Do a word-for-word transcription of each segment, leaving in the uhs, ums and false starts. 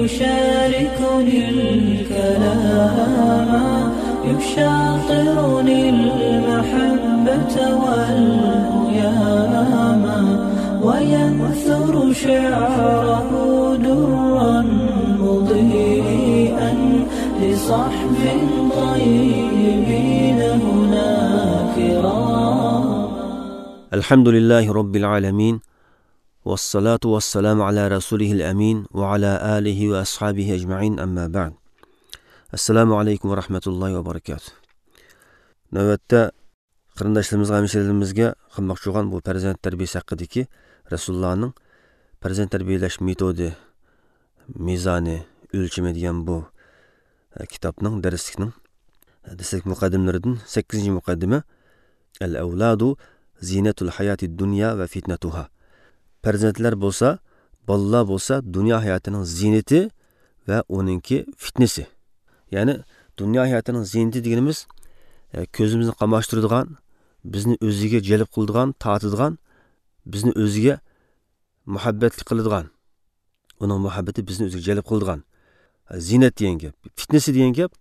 يشاركني الكلام، يشاطرني المحبة والهيام، وينثر شعره درا مضيئا لصحب طيبين هنا كرام. الحمد لله رب العالمين، والصلاة والسلام على رسوله الأمين وعلى آله وأصحابه أجمعين، أما بعد. السلام عليكم ورحمة الله وبركاته. نۆۋەتتە قېرىنداشلىرىمىزغا، ھەمشىرىلىرىمىزگە قىلماقچى بولغان بۇ پەرزەنت تەربىيەسى ھەققىدىكى رەسۇلۇللانىڭ پەرزەنت تەربىيەلەش مېتودى، مىزانى، ئۆلچىمى دېگەن بۇ، ئە، كىتابنىڭ، دەرسلىكنىڭ، ئە، دەسلەپكى مۇقەددىمىلىرىدىن سەككىزىنچى مۇقەددىمە، الأولاد زينة الحياة الدنيا وفتنتها. پەرزەنتلەر بولسا، بالىلار بولسا دۇنيا ھاياتىنىڭ زىينىتى ۋە ئۇنىڭكى فىتنىسى. يەنى دۇنيا ھاياتىنىڭ زىينىتى دېگىنىمىز، ئە، كۆزىمىزنى قاماشتۇرىدىغان، بىزنى ئۆزىگە جەلپ قىلىدىغان، تارتىدىغان، بىزنى ئۆزىگە مۇھەببەتلىك قىلىدىغان، ئۇنىڭ مۇھەببىتى بىزنى ئۆزىگە جەلپ قىلىدىغان. زىننەت دېگەن گەپ، فىتنىسى دېگەن گەپ،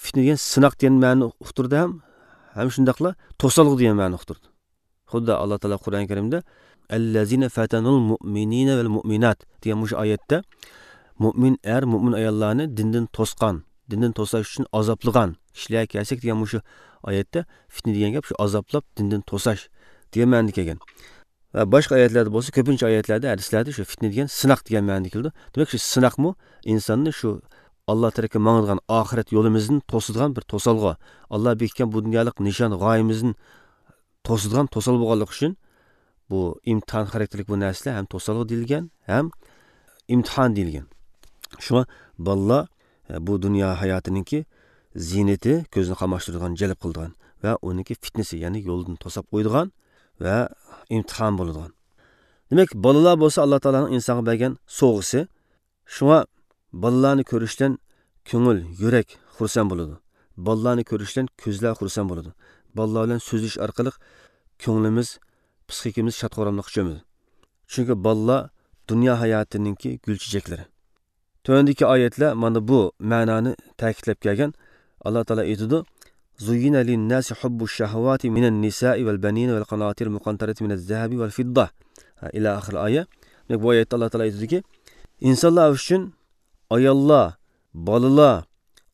فىتنە دېگەن سىناق دېگەن مەنىنى ئۇقتۇرىدۇ ھەم، ھەم شۇنداقلا توسالغۇ دېگەن مەنىنى ئۇقتۇرىدۇ. خۇددى ئاللا تائالا قۇرئان كەرىمدە، الذين فتنوا المؤمنين والمؤمنات دېگەن مۇشۇ ئايەتتە مۇئمىن ئەر، مۇئمىن ئاياللارنى دىندىن توسقان، دىندىن توساش ئۈچۈن ئازابلىغان كىشىلەرگە كەلسەك دېگەن مۇشۇ ئايەتتە فىتنە دېگەن گەپ شۇ ئازابلاپ دىندىن توساش دېگەن مەنىدە كەلگەن. ۋە باشقا ئايەتلەردە بولسا، كۆپىنچە ئايەتلەردە، ھەدىسلەردە شۇ فىتنە دېگەن سىناق دېگەن مەنىدە كېلىدۇ. دېمەك، شۇ سىناقمۇ ئىنساننى شۇ ئاللا تەرەپكە ماڭىدىغان ئاخىرەت يولىمىزدىن توسىدىغان بىر توسالغۇ. ئاللا بېكىتكەن بۇ دۇنيالىق نىشان، غايىمىزدىن توسىدىغان توسالغۇ بولغانلىقى ئۈچۈن بۇ ئىمتىھان خاراكتېرلىك بۇ نەرسىلەر ھەم توسالغۇ دېيىلگەن، ھەم ئىمتىھان دېيىلگەن. شۇڭا بالىلار، ئە، بۇ دۇنيا ھاياتىنىڭكى زىينىتى، كۆزنى قاماشتۇرىدىغان، جەلپ قىلىدىغان ۋە ئۇنىڭكى فىتنىسى، يەنى يولدىن توساپ قويىدىغان ۋە ئىمتىھان بولىدىغان. دېمەك، بالىلار بولسا ئاللا تائالانىڭ ئىنسانغا بەرگەن سوۋغىسى. شۇڭا بالىلارنى كۆرۈشتىن كۆڭۈل، يۈرەك خۇرسەن بولىدۇ. بالىلارنى كۆرۈشتىن كۆزلەر خۇرسەن بولىدۇ. بالىلار بىلەن سۆزلىشىش ئارقىلىق كۆڭلىمىز، پىسخىكىمىز شاد-خۇراملىققا چۆمىدۇ. چۈنكى بالىلار دۇنيا ھاياتىنىڭكى گۈل-چېچەكلىرى. تۆۋەندىكى ئايەتلەر مانا بۇ مەنانى تەكىتلەپ كەلگەن. ئاللا تائالا ئېيتىدۇ، زين للناس حب الشهوات من النساء والبنين والقناطير المقنطرة من الذهب والفضة. ھە، ئىلە ئاخىر ئايە. دېمەك، بۇ ئايەتتە ئاللا تائالا ئېيتىدۇكى، ئىنسانلار ئۈچۈن ئاياللار، بالىلار،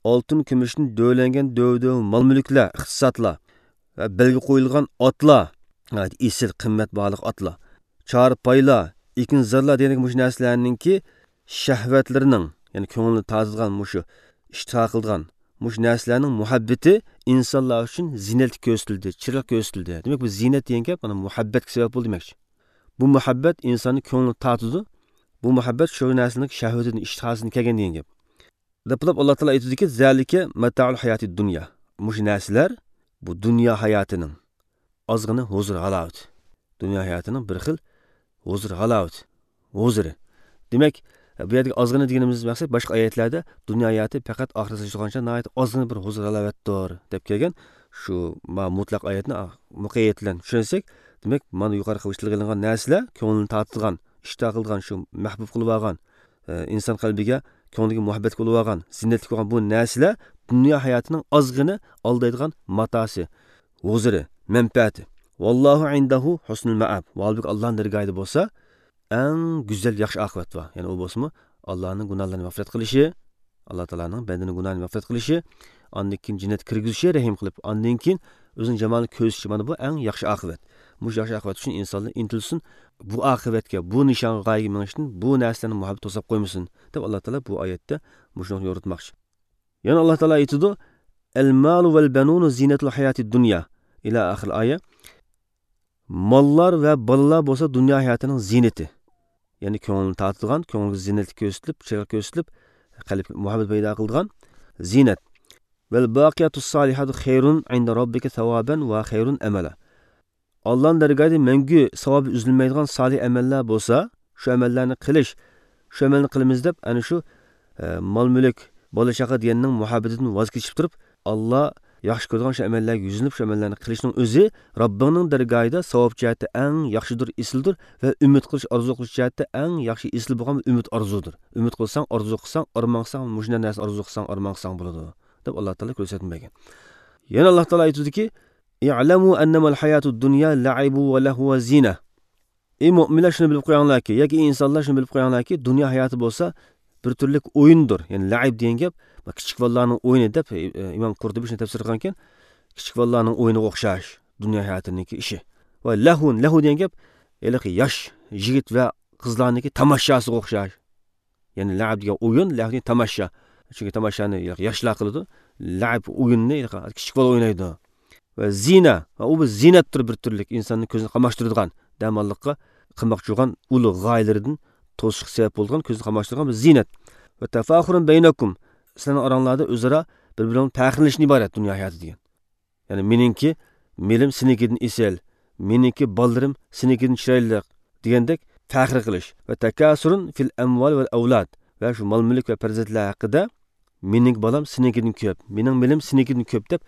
ئالتۇن كۈمۈشتىن دۆۋىلەنگەن دۆۋە-دۆۋە مال-مۈلۈكلەر، ئىقتىسادلار ۋە بەلگە قويۇلغان ئاتلار، ناھايىتى ئېسىل، قىممەت باھالىق ئاتلار، چارپايلار، ئېكىنزارلار دېگەندەك مۇشۇ نەرسىلەرنىڭكى شەھۋەتلىرىنىڭ، يەنى كۆڭۈلنى تارتىدىغان مۇشۇ ئىشتىھا قىلىدىغان مۇشۇ نەرسىلەرنىڭ مۇھەببىتى ئىنسانلار ئۈچۈن زىننەتلىك كۆرسىتىلدى، چىرايلىق كۆرسىتىلدى. دېمەك، بۇ زىننەت دېگەن گەپ مانا مۇھەببەتكە سەۋەب بولدى دېمەكچى. بۇ مۇھەببەت ئىنساننىڭ كۆڭلىنى تارتىدۇ. بۇ مۇھەببەت شۇ نەرسىنىڭ شەھۋىتىدىن، ئىشتىھاسىدىن كەلگەن دېگەن گەپ. دەپ بولۇپ، ئاللا تائالا ئېيتىدۇكى، زالىكە مەتائۇل ھاياتىد دۇنيا. مۇشۇ نەرسىلەر بۇ دۇنيا ھاياتىنىڭ ئازغىنە ھۇزۇر ھالاۋىتى. دۇنيا ھاياتىنىڭ بىر خىل ھۇزۇر ھالاۋىتى. ھۇزۇرى. دېمەك، بۇ يەردىكى ئازغىنە دېگىنىمىز مەقسەت باشقا ئايەتلەردە دۇنيا ھاياتى پەقەت ئاخىرەتكە تۇتقانچە ناھايىتى ئازغىنە بىر ھۇزۇر ھالاۋەتتۇر دەپ كەلگەن. شۇ ما مۇتلەق ئايەتنى مۇقەييەت بىلەن چۈشەنسەك، دېمەك، مانا يۇقىرىقى تىلغا ئېلىنغان نەرسىلەر كۆڭلىنى تارتىدىغان، ئىشتىھا قىلىدىغان، شۇ مەھبۇب قىلىۋالغان، ئە، ئىنسان قەلبىگە، كۆڭلىگە مۇھەببەت بولۇۋالغان، زىننەتلىك بولغان بۇ نەرسىلەر دۇنيا ھاياتىنىڭ ئازغىنە ئالدايدىغان ماتاسى، ھۇزۇرى، مەنپەئەتى. ۋاللاھۇ ئىندەھۇ ھۇسنۇل مەئاب. ۋە ھالبۇكى، ئاللانىڭ دەرگاھىدا بولسا ئەڭ گۈزەل، ياخشى ئاقىۋەت بار. يەنى ئۇ بولسىمۇ ئاللانىڭ گۇناھلىرىنى مەغپىرەت قىلىشى، ئاللا تائالانىڭ بەندىنىڭ گۇناھىنى مەغپىرەت قىلىشى، ئاندىن كېيىن جەننەتكە كىرگۈزۈشى رەھىم قىلىپ، ئاندىن كېيىن ئۆزىنىڭ جامالىنى كۆرسىتىشى، مانا بۇ ئەڭ ياخشى ئاقىۋەت. مۇشۇ ياخشى ئاقىۋەت ئۈچۈن ئىنسانلار ئىنتىلسۇن، بۇ ئاقىۋەتكە، بۇ نىشانغا، غايىگە مېڭىشتىن بۇ نەرسىلەرنىڭ مۇھەببىتى توساپ قويمىسۇن دەپ، ئاللا تائالا بۇ ئايەتتە مۇشۇنى يورۇتماقچى. يەنە ئاللا تائالا ئېيتىدۇ، المال والبنون زينة الحياة الدنيا. ئىلە ئاخىر ئايە. ماللار ۋە بالىلار بولسا دۇنيا ھاياتىنىڭ زىننىتى. يەنى كۆڭۈلنى تارتىدىغان، كۆڭۈلگە زىننەتلىك كۆرسىتىلىپ، چىرايلىق كۆرسىتىلىپ، قەلبكە مۇھەببەت پەيدا قىلىدىغان زىننەت. والباقيات الصالحات خير عند ربك ثوابا وخير أملا. ئاللانىڭ دەرگاھىدا مەڭگۈ ساۋابى ئۈزۈلمەيدىغان سالىھ ئەمەللەر بولسا، شۇ ئەمەللەرنى قىلىش، شۇ ئەمەلنى قىلىمىز دەپ، ئەنە شۇ، ئە، مال-مۈلۈك، بالا-چاقا دېگەننىڭ مۇھەببىتىدىن ۋاز كېچىپ تۇرۇپ، ئاللا ياخشى كۆرىدىغان شۇ ئەمەللەرگە يۈزلىنىپ، شۇ ئەمەللەرنى قىلىشنىڭ ئۆزى رەببىڭنىڭ دەرگاھىدا ساۋاب جەھەتتە ئەڭ ياخشىدۇر، ئېسىلدۇر ۋە ئۈمىد قىلىش، ئارزۇ قىلىش جەھەتتە ئەڭ ياخشى، ئېسىل بولغان ئۈمىد ئارزۇدۇر. ئۈمىد قىلساڭ، ئارزۇ قىلساڭ، ئارمان قىلساڭ، مۇشۇنداق نەرسىنى ئارزۇ قىلساڭ، ئارمان قىلساڭ بولىدۇ، دەپ ئاللا تائالا كۆرسەتمە بەرگەن. يەنە ئاللا تائالا ئېيتىدۇكى، «اعلموا أنما الحياة الدنيا لعب ولهو وزينة.» ئەي مۆمىنلەر، شۇنى بىلىپ قويۇڭلاركى، ياكى ئەي ئىنسانلار، شۇنى بىلىپ قويۇڭلاركى، دۇنيا ھاياتى بولسا بىر تۈرلۈك ئويۇندۇر. يەنى لەئىب دېگەن گەپ، كىچىك بالىلارنىڭ ئويۇنى دەپ، ئى، ئىمام قۇرتۇبى شۇنى تەپسىر قىلغانكەن، كىچىك بالىلارنىڭ ئويۇنىغا ئوخشاش دۇنيا ھاياتىنىڭكى ئىشى. ۋە لەھۋۇن، لەھۋۇ دېگەن گەپ، ھېلىقى ياش يىگىت ۋە قىزلارنىڭكى تاماشاسىغا ئوخشاش. يەنى لەئىب دېگەن ئويۇن، لەھۋ دېگەن تاماشا. چۈنكى تاماشانى ياشلار قىلىدۇ. لەئىب ئويۇننى كىچىك بالا ئوينايدۇ. ۋە زىنە، ۋە ئۇ بىر زىنەتتۇر، بىر تۈرلۈك ئىنساننىڭ كۆزىنى قاماشتۇرىدىغان، دەماللىققا قىلماقچى بولغان ئۇلۇغ غايىلىرىدىن توسۇشقا سەۋەب بولىدىغان، كۆزنى قاماشتۇرىدىغان بىر زىنەت. ۋە تەفاخۇرۇن بەينەكۇم، سىلەرنىڭ ئاراڭلاردا ئۆزئارا بىر-بىرىڭ پەخىرلىنىشتىن ئىبارەت دۇنيا ھاياتى دېگەن. يەنى مېنىڭكى مېلىم سېنىڭكىدىن ئېسىل، مېنىڭكى بالىلىرىم سېنىڭكىدىن چىرايلىق دېگەندەك پەخىر قىلىش. ۋە تەكاسۇرۇن فىل ئەمۋال ۋەل ئەۋلاد، ۋە شۇ مال-مۈلۈك ۋە پەرزەنتلەر ھەققىدە، مېنىڭ بالام سېنىڭكىدىن كۆپ، مېنىڭ مېلىم سېنىڭكىدىن كۆپ دەپ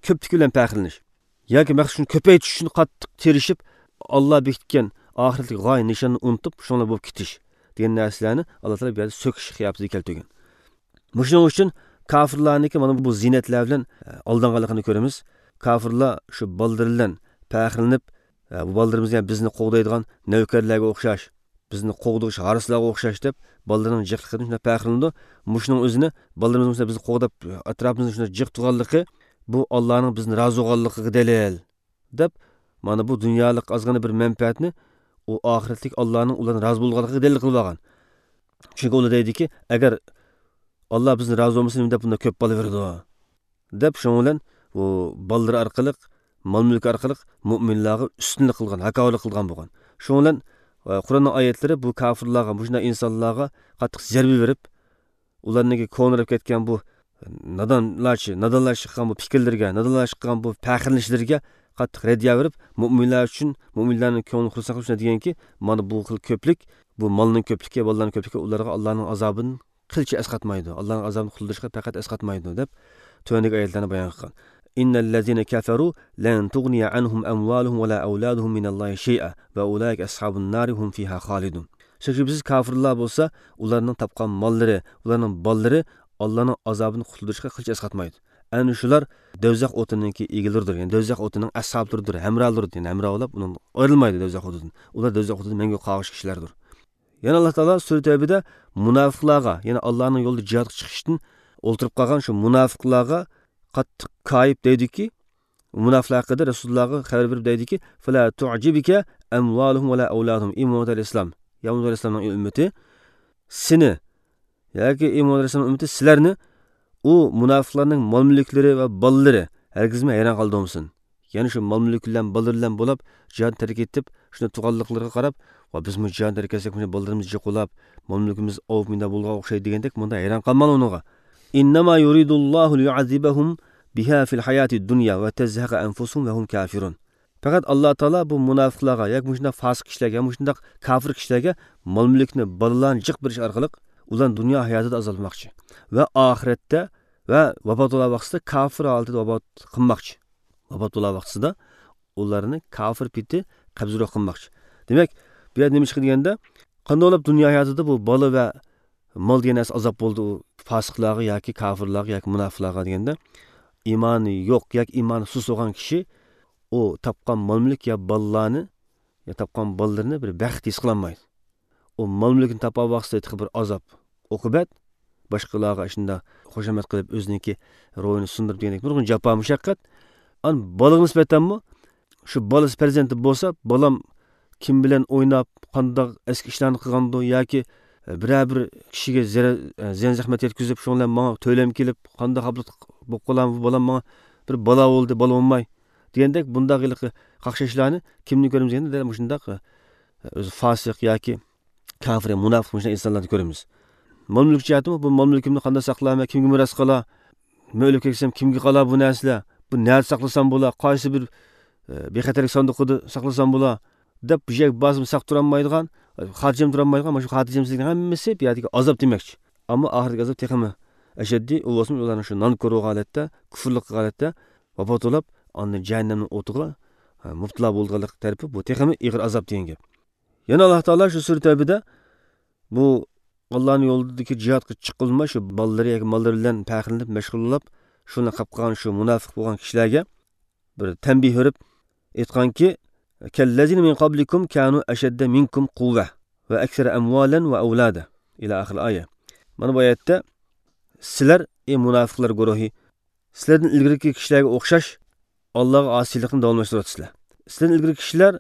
كۆپلۈكى بىلەن پەخىرلىنىش. ياكى مەقسەت شۇنى كۆپەيتىش ئۈچۈن قاتتىق تىرىشىپ، ئاللا بېكىتكەن ئاخىرەتلىك غايە نىشاننى ئۇنتۇپ، شۇنىڭ بىلەن بولۇپ كېتىش دېگەن نەرسىلەرنى ئاللا تائالا بۇ يەردە سۆكۈش قىياپىتىدە كەلتۈرگەن. مۇشۇنىڭ ئۈچۈن كاپىرلارنىڭكى مانا بۇ زىننەتلەر بىلەن، ئە، ئالدانغانلىقىنى كۆرىمىز. كاپىرلار شۇ بالىلىرى بىلەن پەخىرلىنىپ، ئە، بۇ بالىلىرىمىز يەنە بىزنى قوغدايدىغان نەۋكەرلەرگە ئوخشاش، بىزنى قوغدىغۇچى ھارسىلارغا ئوخشاش دەپ، بالىلىرىنىڭ جىقلىقىدىن شۇنداق پەخىرلىنىدۇ. مۇشۇنىڭ ئۆزىنى، بالىلىرىمىز مۇشۇنداق بىزنى قوغداپ، ئەتراپىمىزنى شۇنداق جىق تۇرغانلىقى، بۇ ئاللانىڭ بىزنى رازى بولغانلىقىغا دەلىل، دەپ، مانا بۇ دۇنيالىق ئازغىنە بىر مەنپەئەتنى ئۇ ئاخىرەتلىك ئاللانىڭ ئۇلاردىن رازى بولغانلىقىغا دەلىل قىلىۋالغان. چۈنكى ئۇلار دەيدىكى، ئەگەر ئاللا بىزنى رازى بولمىسا، نېمە دەپ بۇنداق كۆپ بالا بېرىدۇ؟ دەپ، شۇنىڭ بىلەن بۇ بالىلىرى ئارقىلىق، مال-مۈلكى ئارقىلىق مۆمىنلارغا ئۈستۈنلۈك قىلغان، ھاكاۋۇرلۇق قىلغان بولغان. شۇنىڭ بىلەن، ئە، قۇرئاننىڭ ئايەتلىرى بۇ كاپىرلارغا، مۇشۇنداق ئىنسانلارغا قاتتىق زەربە بېرىپ، ئۇلارنىڭكى كونىراپ كەتكەن بۇ نادانلارچە، نادانلارچە قىلغان بۇ پىكىرلىرىگە، نادانلارچە قىلغان بۇ پەخىرلىنىشلىرىگە قاتتىق رەددىيە بېرىپ، مۆمىنلەر ئۈچۈن، مۆمىنلەرنىڭ كۆڭلىنى خۇرسەن قىلىش ئۈچۈن دېگەنكى، مانا بۇ خىل كۆپلۈك، بۇ مالنىڭ كۆپلۈكى، بالىلارنىڭ كۆپلۈكى ئۇلارغا ئاللانىڭ ئازابىدىن قىلچە ئەسقاتمايدۇ. ئاللانىڭ ئازابىنى قۇتۇلدۇرۇشقا پەقەت ئەسقاتمايدۇ، دەپ تۆۋەندىكى ئايەتلەرنى بايان قىلغان. إن الذين كفروا لن تغني عنهم أموالهم ولا أولادهم من الله شيئا وأولئك أصحاب النار هم فيها خالدون. شۈبھىسىز كاپىرلار بولسا، ئۇلارنىڭ تاپقان ماللىرى، ئۇلارنىڭ بالىلىرى ئاللانىڭ ئازابىدىن قۇتۇلدۇرۇشقا قىلچە ئەسقاتمايدۇ. ئەنە شۇلار دوزاخ ئوتىنىڭكى ئىگىلىرىدۇر، يەنى دوزاخ ئوتىنىڭ ئەسھابلىرىدۇر، ھەمراھلىرىدۇر، يەنى ھەمراھلاپ ئۇنىڭ ئايرىلمايدۇ دوزاخ ئوتىدىن. ئۇلار دوزاخ ئوتىدا مەڭگۈ قالغۇچى كىشىلەردۇر. يەنە ئاللا تائالا سۈرە تەۋبىدە مۇناپىقلارغا، يەنى ئاللانىڭ يولىدا جىھادقا چىقىشتىن ئولتۇرۇپ قالغان شۇ مۇناپىقلارغا قاتتىق كايىپ دەيدۇكى، مۇناپىقلار ھەققىدە رەسۇلۇللاغا خەۋەر بېرىپ دەيدۇكى، فلا تعجبك أموالهم ولا أولادهم. ئى مۇھەممەد ئەلەيھىسسالام، يا مۇھەممەد ئەلەيھىسسالامنىڭ ئۈممىتى، سېنى ياكى ئى مۇھەممەد ئەلەيھىسسالام ئۈممىتى سىلەرنى ئۇ مۇناپىقلارنىڭ مال-مۈلۈكلىرى ۋە بالىلىرى ھەرگىزمۇ ھەيران قالدۇرمىسۇن. يەنى شۇ مال-مۈلۈك بىلەن، بالىلىرى بىلەن بولاپ، جىھادنى تەرك ئېتىپ، شۇنداق تۇرغانلىقلىرىغا قاراپ، ۋا بىزمۇ جىھادنى تەرك ئەتسەك، مۇشۇ بالىلىرىمىز جىق بولاپ، مال-مۈلكىمىز ئاۋۇپ مۇنداق بولغان ئوخشايدۇ دېگەندەك، مۇنداق ھەيران قالماڭلار ئۇنىڭغا. إنما يريد الله ليعذبهم بها في الحياة الدنيا وتزهق أنفسهم وهم كافرون. پەقەت ئاللا تائالا بۇ مۇناپىقلارغا ياكى مۇشۇنداق فاسىق كىشىلەرگە، مۇشۇنداق كاپىر كىشىلەرگە مال-مۈلۈكنى، بالىلارنى جىق بېرىش ئارقىلىق ئۇلارنى دۇنيا ھاياتىدا ئازابلىماقچى ۋە ئاخىرەتتە ۋە ۋاپات بولغان ۋاقتىدا كاپىر ھالىتىدە ۋاپات قىلماقچى. ۋاپات بولغان ۋاقتىدا ئۇلارنى كاپىر پېتى قەبزىروھ قىلماقچى. دېمەك، بۇ يەردە نېمە چىقتى دېگەندە، قانداق بولۇپ دۇنيا ھاياتىدا بۇ بالا ۋە مال دېگەن نەرسە ئازاب بولدى ئۇ پاسىقلارغا ياكى كاپىرلارغا ياكى مۇناپىقلارغا دېگەندە، ئىمانى يوق ياكى ئىمانى سۇس بولغان كىشى ئۇ تاپقان مال-مۈلۈك يا بالىلارنى، يا تاپقان بالىلىرىنى بىر بەخت ھېس قىلالمايدۇ. ئۇ مال-مۈلۈكنى تاپقان ۋاقتىدا تېخى بىر ئازاب، ئوقۇبەت، باشقىلارغا شۇنداق خۇشامەت قىلىپ، ئۆزىنىڭكى روھىنى سۇندۇرۇپ دېگەندەك نۇرغۇن جاپا-مۇشەققەت. ئانا بالىغا نىسبەتەنمۇ شۇ بالىسى پەرزەنتى بولسا، بالام كىم بىلەن ئويناپ، قانداق ئەسكى ئىشلارنى قىلغاندۇ ياكى بىرەر بىر كىشىگە زەرەر، زىيان-زەخمەت يەتكۈزۈپ، شۇنىڭ بىلەن ماڭا تۆلەم كېلىپ، قانداق ئابلىق بولۇپ قالامدۇ، بالام ماڭا بىر بالا بولدى، بالا بولماي دېگەندەك بۇنداق ھېلىقى قاقشاشلارنى كىمدىن كۆرىمىز دېگەندە، دەل مۇشۇنداق، ئۆزى فاسىق ياكى كاپىر، مۇناپىق مۇشۇنداق ئىنسانلارنى كۆرىمىز. مال-مۈلۈك جەھەتتىمۇ، بۇ مال-مۈلكۈمنى قانداق ساقلايمەن، كىمگە مىراس قالا، مەن ئۆلۈپ كەتسەم كىمگە قالا بۇ نەرسىلەر، بۇ نەدە ساقلىسام بولا، قايسى بىر، ئە، بىخەتەرلىك ساندۇقىدا ساقلىسام بولا، دەپ بۇ يەرگە بارسىمۇ ساق تۇرالمايدىغان، خاتىرجەم تۇرالمايدىغان، مانا شۇ خاتىرجەمسىزلىكنىڭ ھەممىسى بۇ يەردىكى ئازاب دېمەكچى. ئەمما ئاخىرىدىكى ئازاب تېخىمۇ ئەشەددىي، ئۇ بولسىمۇ ئۇلارنىڭ شۇ نانكور بولغان ھالەتتە، كۇفرلۇق قىلغان ھالەتتە، ۋاپات بولاپ، ئاندىن جەھەننەمنىڭ ئوتىغا، ھە، مۇپتىلا بولىدىغانلىق تەرىپى، بۇ تېخىمۇ ئېغىر ئازاب دېگەن گەپ. يەنە ئاللا تائالا شۇ سۈرە تەۋبىدە بۇ ئاللانىڭ يولىدىكى جىھادقا چىققىلى، شۇ بالىلىرى ياكى ماللىرى بىلەن پەخىرلىنىپ، مەشغۇللىنىپ، شۇنداق قېلىپ قالغان شۇ مۇناپىق بولغان كىشىلەرگە بىر تەنبىھ بېرىپ ئېيتقانكى، كاللەزىنە مىن قابلىكۇم كانۇ ئەشەددە مىنكۇم قۇۋۋە ۋە ئەكسەرە ئەمۋالەن ۋە ئەۋلادا ئىلە ئاخىر ئايە. مانا بۇ ئايەتتە سىلەر، ئەي مۇناپىقلار گۇرۇھى، سىلەردىن ئىلگىرىكى كىشىلەرگە ئوخشاش ئاللاغا ئاسىيلىقنى داۋاملاشتۇرۇۋاتىسىلەر. سىلەردىن ئىلگىرىكى كىشىلەر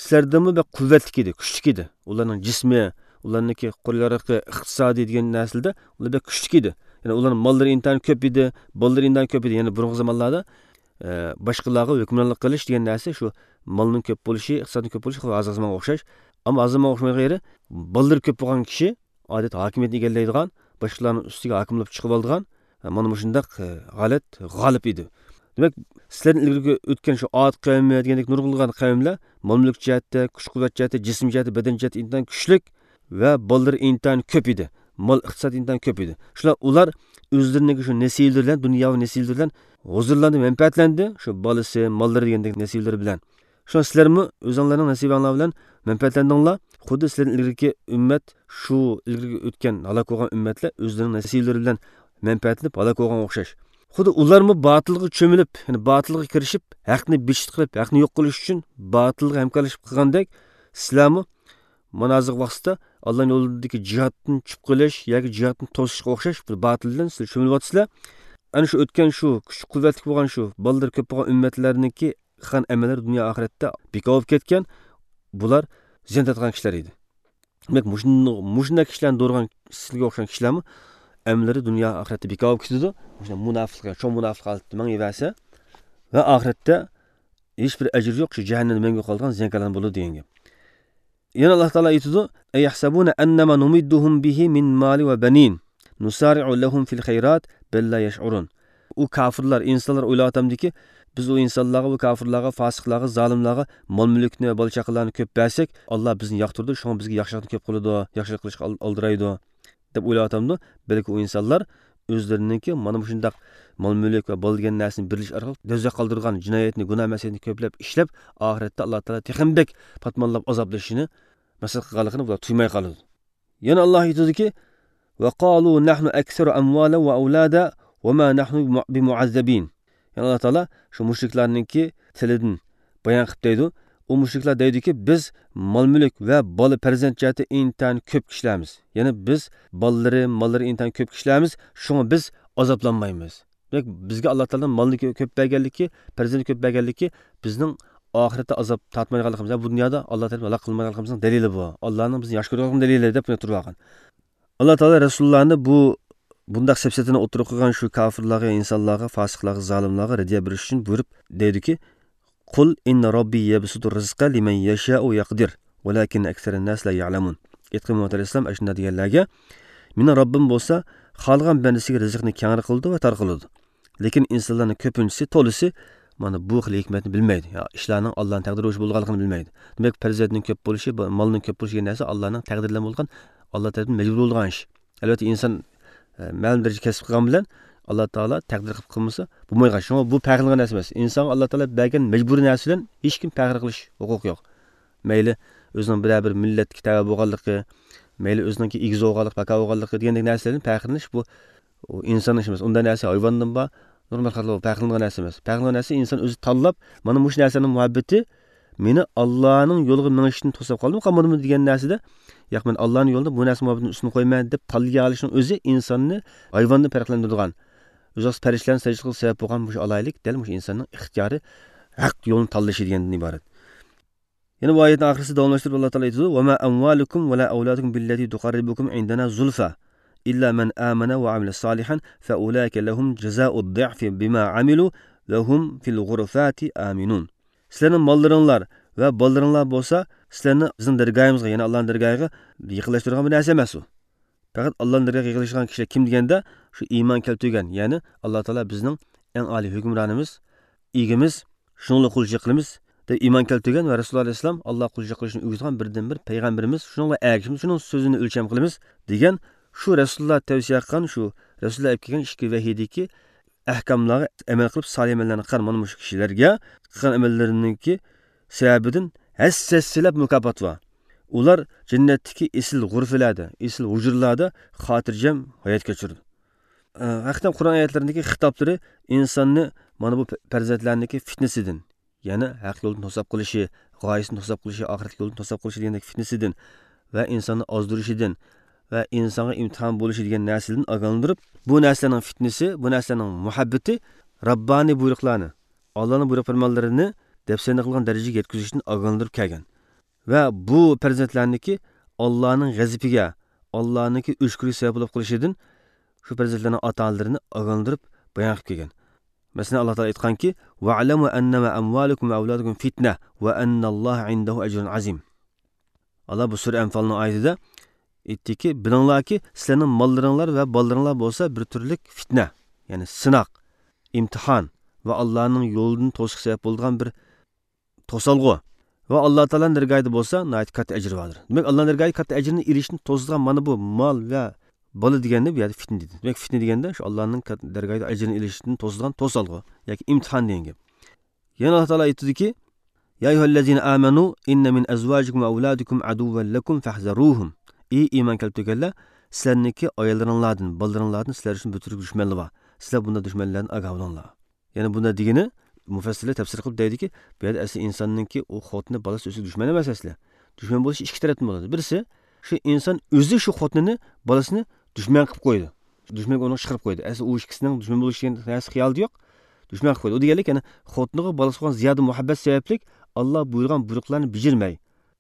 سىلەردىنمۇ بەك قۇۋۋەتلىك ئىدى، كۈچلۈك ئىدى. ئۇلارنىڭ جىسمى، ئۇلارنىڭكى قول يارىقى، ئىقتىسادى دېگەن نەرسىلەردە ئۇلار بەك كۈچلۈك ئىدى. يەنى ئۇلارنىڭ ماللىرى ئىنتايىن كۆپ ئىدى، بالىلىرى ئىنتايىن كۆپ ئىدى. يەنى بۇرۇنقى زامانلاردا، ئە، باشقىلارغا ھۆكۈمرانلىق قىلىش دېگەن نەرسە شۇ مالنىڭ كۆپ بولۇشى، ئىقتىسادنىڭ كۆپ بولۇشى خۇددى ھازىرقى زامانغا ئوخشاش. ئەمما ھازىر زامانغا ئوخشىمايدىغان يېرى، بالىلىرى كۆپ بولغان كىشى ئادەتتە ھاكىمىيەتنى ئىگىلەيدىغان، باشقىلارنىڭ ئۈستىگە ھاكىم بولۇپ چىقىۋالىدىغان، مانا مۇشۇنداق، ئە، ھالەت غالىب ئىدى. دېمەك، سىلەردىن ئىلگىرىكى ئۆتكەن شۇ ئاد قەۋمى دېگەندەك نۇرغۇنلىغان قەۋملەر مال-مۈلۈك جەھەتتە، كۈچ-قۇۋۋەت جەھەتتە، جىسىم جەھەتتە، بەدەن جەھەتتە ئىنتايىن كۈچلۈك ۋە بالىلىرى ئىنتايىن كۆپ ئىدى. مال ئىقتىساد ئىنتايىن كۆپ ئىدى. شۇلار، ئۇلار ئۆزلىرىنىڭكى شۇ نەسىۋىلىرى بىلەن، دۇنياۋى نەسىۋىلىرى بىلەن ھۇزۇرلاندى، مەنپەئەتلەندى، شۇ بالىسى، ماللىرى دېگەندەك نەسىۋىلىرى بىلەن. شۇڭا سىلەرمۇ ئۆزۈڭلارنىڭ نەسىۋەڭلار بىلەن مەنپەئەتلەندىڭلار. خۇددى سىلەردىن ئىلگىرىكى ئۈممەت، شۇ ئىلگىرىكى ئۆتكەن ھالاك بولغان ئۈممەتلەر ئۆزلىرىنىڭ نەسىۋىلىرى بىلەن مەنپەئەتلىنىپ ھالاك بولغانغا ئوخشاش. خۇددى ئۇلارمۇ باتىلغا چۆمۈلۈپ، يەنى باتىلغا كىرىشىپ، ھەقنى بىچىت قىلىپ، ھەقنى يوق قىلىش ئۈچۈن باتىلغا ھەمكارلىشىپ قىلغاندەك، سىلەرمۇ مانا ھازىرقى ۋاقىتتا ئاللانىڭ يولىدىكى جىھادتىن چۈپ قېلىش ياكى جىھادتىن توسۇشقا ئوخشاش بىر باتىل بىلەن سىلەر چۆمۈلۈۋاتىسىلەر. ئەنە شۇ ئۆتكەن شۇ كۈچلۈك قۇۋۋەتلىك بولغان شۇ بالىلىرى كۆپ بولغان ئۈممەتلەرنىڭكى قىلغان ئەمەللىرى دۇنيا ئاخىرەتتە بىكار بولۇپ كەتكەن. بۇلار زىيان تارتقان كىشىلەر ئىدى. دېمەك، مۇشۇنداق، مۇشۇنداق كىشىلەرنى دورىغان سىلەرگە ئوخشىغان كىشىلەرمۇ ئەمەللىرى دۇنيا ئاخىرەتتە بىكار بولۇپ كېتىدۇ. مۇشۇنداق مۇناپىقلىق، چوڭ مۇناپىقلىق ھالىتىدە مېڭىۋەرسە ۋە ئاخىرەتتە ھېچبىر ئەجرى يوق، شۇ جەھەننەمدە مەڭگۈ قالىدىغان زىيانكارلاردىن بولىدۇ دېگەن گەپ. يەنە ئاللا تائالا ئېيتىدۇ، ئەيەھسەبۇنە ئەننەما نۇمىددۇھۇم بىھى مىن مالى ۋە بەنىن نۇسارىئۇ لەھۇم فىل خەيرات بەل لا يەشئۇرۇن. ئۇ كاپىرلار، ئىنسانلار ئويلاۋاتامدىكى، بىز ئۇ ئىنسانلارغا، ئۇ كاپىرلارغا، فاسىقلارغا، زالىملارغا مال-مۈلۈكنى ۋە بالا-چاقىلارنى كۆپ بەرسەك، ئاللا بىزنى ياقتۇرىدۇ، شۇڭا بىزگە ياخشىلىقنى كۆپ قىلىدۇ، ياخشىلىق قىلىشقا ئال-، ئالدىرايدۇ، دەپ ئويلاۋاتامدۇ؟ بەلكى ئۇ ئىنسانلار ئۆزلىرىنىڭكى مانا مۇشۇنداق مال-مۈلۈك ۋە بالا دېگەن نەرسىنى بېرىلىش ئارقىلىق دوزاخقا قالدۇرىدىغان جىنايەتنى، گۇناھ-مەسىيەتنى كۆپلەپ ئىشلەپ، ئاخىرەتتە ئاللا تائالا تېخىمۇ بەك پاتمانلاپ ئازابلىشىنى مەقسەت قىلغانلىقىنى بۇلار تۇيماي قالىدۇ. يەنە ئاللا ئېيتىدۇكى، وقالوا نحن أكثر أموالا وأولادا وما نحن بمعذبين. يەنى ئاللا تائالا شۇ مۇشرىكلارنىڭكى تىلىدىن بايان قىلىپ دەيدۇ، ئۇ مۇشرىكلار دەيدۇكى، بىز مال-مۈلۈك ۋە بالا پەرزەنت جەھەتتە ئىنتايىن كۆپ كىشىلەرمىز. يەنى بىز بالىلىرى، ماللىرى ئىنتايىن كۆپ كىشىلەرمىز، شۇڭا بىز ئازابلانمايمىز. دېمەك، بىزگە ئاللا تائالانىڭ مالنى كۆ-، كۆپ بەرگەنلىكى، پەرزەنت كۆپ بەرگەنلىكى بىزنىڭ ئاخىرەتتە ئازاب تارتمايدىغانلىقىمىز، بۇ دۇنيادا ئاللا تەرىپىدىن ھالاك قىلمايدىغانلىقىمىزنىڭ دەلىلى بۇ. ئاللانىڭ بىزنى ياخشى كۆرىدىغان دەلىلى دەپ تۇرۇۋالغان. ئاللا تائالا رەسۇلۇللانى بۇ، بۇنداق سەپسەتىنى ئوتتۇرىغا قويغان شۇ كاپىرلارغا، ئىنسانلارغا، فاسىقلارغا، زالىملارغا رەددىيە بېرىش ئۈچۈن بۇيرۇپ دەيدۇكى، قۇل ئىننە رەببى يەبسۇتۇر رىزقە لىمەن يەشائۇ ۋە يەقدىر، ۋەلەكىننە ئەكسەرەنناسى لا يەئلەمۇن. ئېيتقىن، مۇھەممەد ئەلەيھىسسالام، ئاشۇنداق دېگەنلەرگە، مېنىڭ رەببىم بولسا خالىغان بەندىسىگە رىزىقنى كەڭرى قىلىدۇ ۋە تار قىلىدۇ. لېكىن ئىنسانلارنىڭ كۆپىنچىسى، تولىسى مانا بۇ خىل ھېكمەتنى بىلمەيدۇ. يا، ئىشلارنىڭ ئاللانىڭ تەقدىرى بويىچە بولىدىغانلىقىنى بىلمەيدۇ. دېمەك، پەرزەنتنىڭ كۆپ بولۇشى، ب-، مالنىڭ كۆپ بولۇشى دېگەن نەرسە ئاللانىڭ تەقدىرى بىلەن بولغان، ئاللا تەرىپىدىن مەجبۇر بولىدىغان ئىش. ئەلۋەتتە، ئىنسان، ئە، مەلۇم دەرىجىدە كەسىپ قىلغان بىلەن ئاللا تائالا تەقدىر قىلىپ قىلمىسا بولمايدىغان. شۇڭا بۇ پەخىرلىنىدىغان نەرسە ئەمەس. ئىنسانغا ئاللا تائالا بەرگەن مەجبۇرىي نەرسە بىلەن ھېچكىم پەخىر قىلىش ھوقۇقى يوق. مەيلى ئۆزىنىڭ بىرەر بىر مىللەتكە تەۋە بولغانلىقى، مەيلى ئۆزىنىڭكى ئىگىسى بولغانلىقى، پاكا بولغانلىقى دېگەندەك نەرسىلەردىن پەخىرلىنىش، بۇ، ئۇ ئىنساننىڭ ئىشى ئەمەس. ئۇنداق نەرسە ھايۋاندىن بار، نورمال خەلقلەر پەخىرلىنىدىغان نەرسە ئەمەس. پەخىرلىنىدىغان نەرسە ئىنسان ئۆزى تاللاپ، مانا مۇشۇ نەرسىنىڭ مۇھەببىتى مېنى ئاللانىڭ يولىغا مېڭىشتىن توساپ قالدىمۇ، قالمىدىمۇ دېگەن نەرسىدە، ياق، مەن ئاللانىڭ يولىدا بۇ نەرسە مۇھەببىتىنى ئۈستۈن قويىمەن دەپ تاللىيالىشنىڭ ئۆزى ئىنساننى ھايۋاندىن پەرقلەندۈرىدىغان، ئۆزى پەرىشتىلەرنى سەجدە قىلىشقا سەۋەب بولغان مۇشۇ ئالاھىدىلىك دەل مۇشۇ ئىنساننىڭ ئىختىيارى ھەق يولنى تاللىشى دېگەندىن ئىبارەت. يەنە بۇ ئايەتنىڭ ئاخىرىسىدا داۋاملاشتۇرۇپ ئاللا تائالا ئېيتىدۇ، وما أموالكم ولا أولادكم بالتي تقربكم عندنا زلفى إلا من آمن وعمل صالحا فأولئك لهم جزاء الضعف بما عملوا وهم في الغرفات آمنون. سىلەرنىڭ ماللىرىڭلار ۋە بالىلىرىڭلار بولسا سىلەرنى بىزنىڭ دەرگاھىمىزغا، يەنى ئاللانىڭ دەرگاھىغا يېقىنلاشتۇرىدىغان بىر نەرسە ئەمەس ئۇ. پەقەت ئاللانىڭ دەرگاھىغا يېقىنلىشىدىغان كىشىلەر كىم دېگەندە، شۇ ئىمان كەلتۈرگەن، يەنى ئاللا تائالا بىزنىڭ ئەڭ ئالىي ھۆكۈمرانىمىز، ئىگىمىز، شۇنىڭغا قۇلچىلىق قىلىمىز دەپ ئىمان كەلتۈرگەن ۋە رەسۇلۇللا ئەلەيھىسسالام ئاللاغا قۇلچىلىق قىلىشنى ئۆگىتىدىغان بىردىنبىر پەيغەمبىرىمىز، شۇنىڭغا ئەگىشىمىز، شۇنىڭ سۆزىنى ئۆلچەم قىلىمىز دېگەن شۇ رەسۇلۇللا تەۋسىيە قىلغان، شۇ رەسۇلۇللا ئېلىپ كەلگەن ئىككى ۋەھىيدىكى ئەھكاملارغا ئەمەل قىلىپ، سالىھ ئەمەللەرنى قىلغان مانا مۇشۇ كىشىلەرگە قىلغان ئەمەللىرىنىڭكى سەۋەبىدىن ھەسسە-ھەسسىلەپ مۇكاپات بار. ئۇلار جەننەتتىكى ئېسىل غۇرفىلەردە، ئېسىل ھۇجرىلاردا خاتىرجەم ھايات كەچۈرىدۇ. ئە، ھەقىقەتەن قۇرئان ئايەتلىرىنىڭكى خىتابلىرى ئىنساننى مانا بۇ پەرزەنتلەرنىڭكى فىتنىسىدىن، يەنى ھەق يولدىن توساپ قىلىشى، غايىسىنى توساپ قىلىشى، ئاخىرەتلىك يولدىن توساپ قىلىشى دېگەندەك فىتنىسىدىن ۋە ئىنساننى ئازدۇرۇشىدىن ۋە ئىنسانغا ئىمتىھان بولۇشى دېگەن نەرسىدىن ئاگاھلاندۇرۇپ، بۇ نەرسىلەرنىڭ فىتنىسى، بۇ نەرسىلەرنىڭ مۇھەببىتى راببانىي بۇيرۇقلارنى، ئاللانىڭ بۇيرۇق پەرمانلىرىنى دەپسەندە قىلغان دەرىجىگە يەتكۈزۈشتىن ئاگاھلاندۇرۇپ كەلگەن. ۋە بۇ پەرزەنتلەرنىكى ئاللانىڭ غەزىپىگە، ئاللانىڭكى ئۆچكىلىكى سەۋەب بولۇپ قېلىشىدىن شۇ پەرزەنتلەرنىڭ ئاتا-ئانىلىرىنى ئاگاھلاندۇرۇپ بايان قىلىپ كەلگەن. مەسىلەن، ئاللا تائالا ئېيتقانكى، «ۋەئلەمۇ ئەننەمە ئەمۋالۇكۇم ۋە ئەۋلادۇكۇم فىتنە ۋە ئەننەللاھە ئىندەھۇ ئەجرۇن ئەزىم.» ئاللا بۇ سۈرە ئەنفالنىڭ ئايىتىدە ئېيتتىكى، «بىلىڭلاركى، سىلەرنىڭ ماللىرىڭلار ۋە بالىلىرىڭلار بولسا بىر تۈرلۈك فىتنە، يەنى سىناق، ئىمتىھان ۋە ئاللانىڭ يولىدىن توسۇشقا سەۋەب بولىدىغان بىر توسالغۇ. ۋە ئاللا تائالانىڭ دەرگاھىدا بولسا ناھايىتى كاتتا ئەجرى باردۇر.» دېمەك، ئاللانىڭ دەرگاھىدا كاتتا ئەجرىنى ئېلىشتىن توسىدىغان مانا بۇ مال ۋە بالا دېگەننى بۇ يەردە فىتنە دېدى. دېمەك، فىتنە دېگەندە شۇ ئاللانىڭ كات-، دەرگاھىدا ئەجرىنى ئېلىشتىن توسىدىغان توسالغۇ ياكى ئىمتىھان دېگەن گەپ. يەنە ئاللا تائالا ئېيتىدۇكى، «يا أيها الذين آمنوا إن من أزواجكم وأولادكم عدوا لكم فاحذروهم.» ئى ئىمان كەلتۈرگەنلەر، سىلەرنىڭكى ئاياللىرىڭلاردىن، بالىلىرىڭلاردىن سىلەر ئۈچۈن بىر تۈرلۈك دۈشمەنلەر بار. سىلەر بۇنداق دۈشمەنلەردىن ئاگاھ بولۇڭلار. يەنى بۇنداق دېگىنى، مۇفەسسىرلەر تەپسىر قىلىپ دەيدۇكى، بۇ يەردە ئەسلى ئىنساننىڭكى ئۇ خوتۇنى، بالىسى ئۆزىگە دۈشمەن ئەمەس ئەسلى. دۈشمەن بولۇشى ئىككى تەرەپتىن بولىدۇ. بىرسى، شۇ ئىنسان ئۆزى شۇ خوتۇنىنى، بالىسىنى دۈشمەن قىلىپ قويىدۇ. دۈشمەنگە ئۇنى چىقىرىپ قويىدۇ. ئەسلى ئۇ ئىككىسىنىڭ دۈشمەن بولۇشى دېگەن نەرسە خىيالىدا يوق. دۈشمەن قىلىپ قويىدۇ. ئۇ دېگەنلىك، يەنى خوتۇنىغا، بالىسىغا بولغان زىيادە مۇھەببەت سەۋەبلىك ئاللا بۇيرۇغان بۇيرۇقلارنى بېجىرمەي،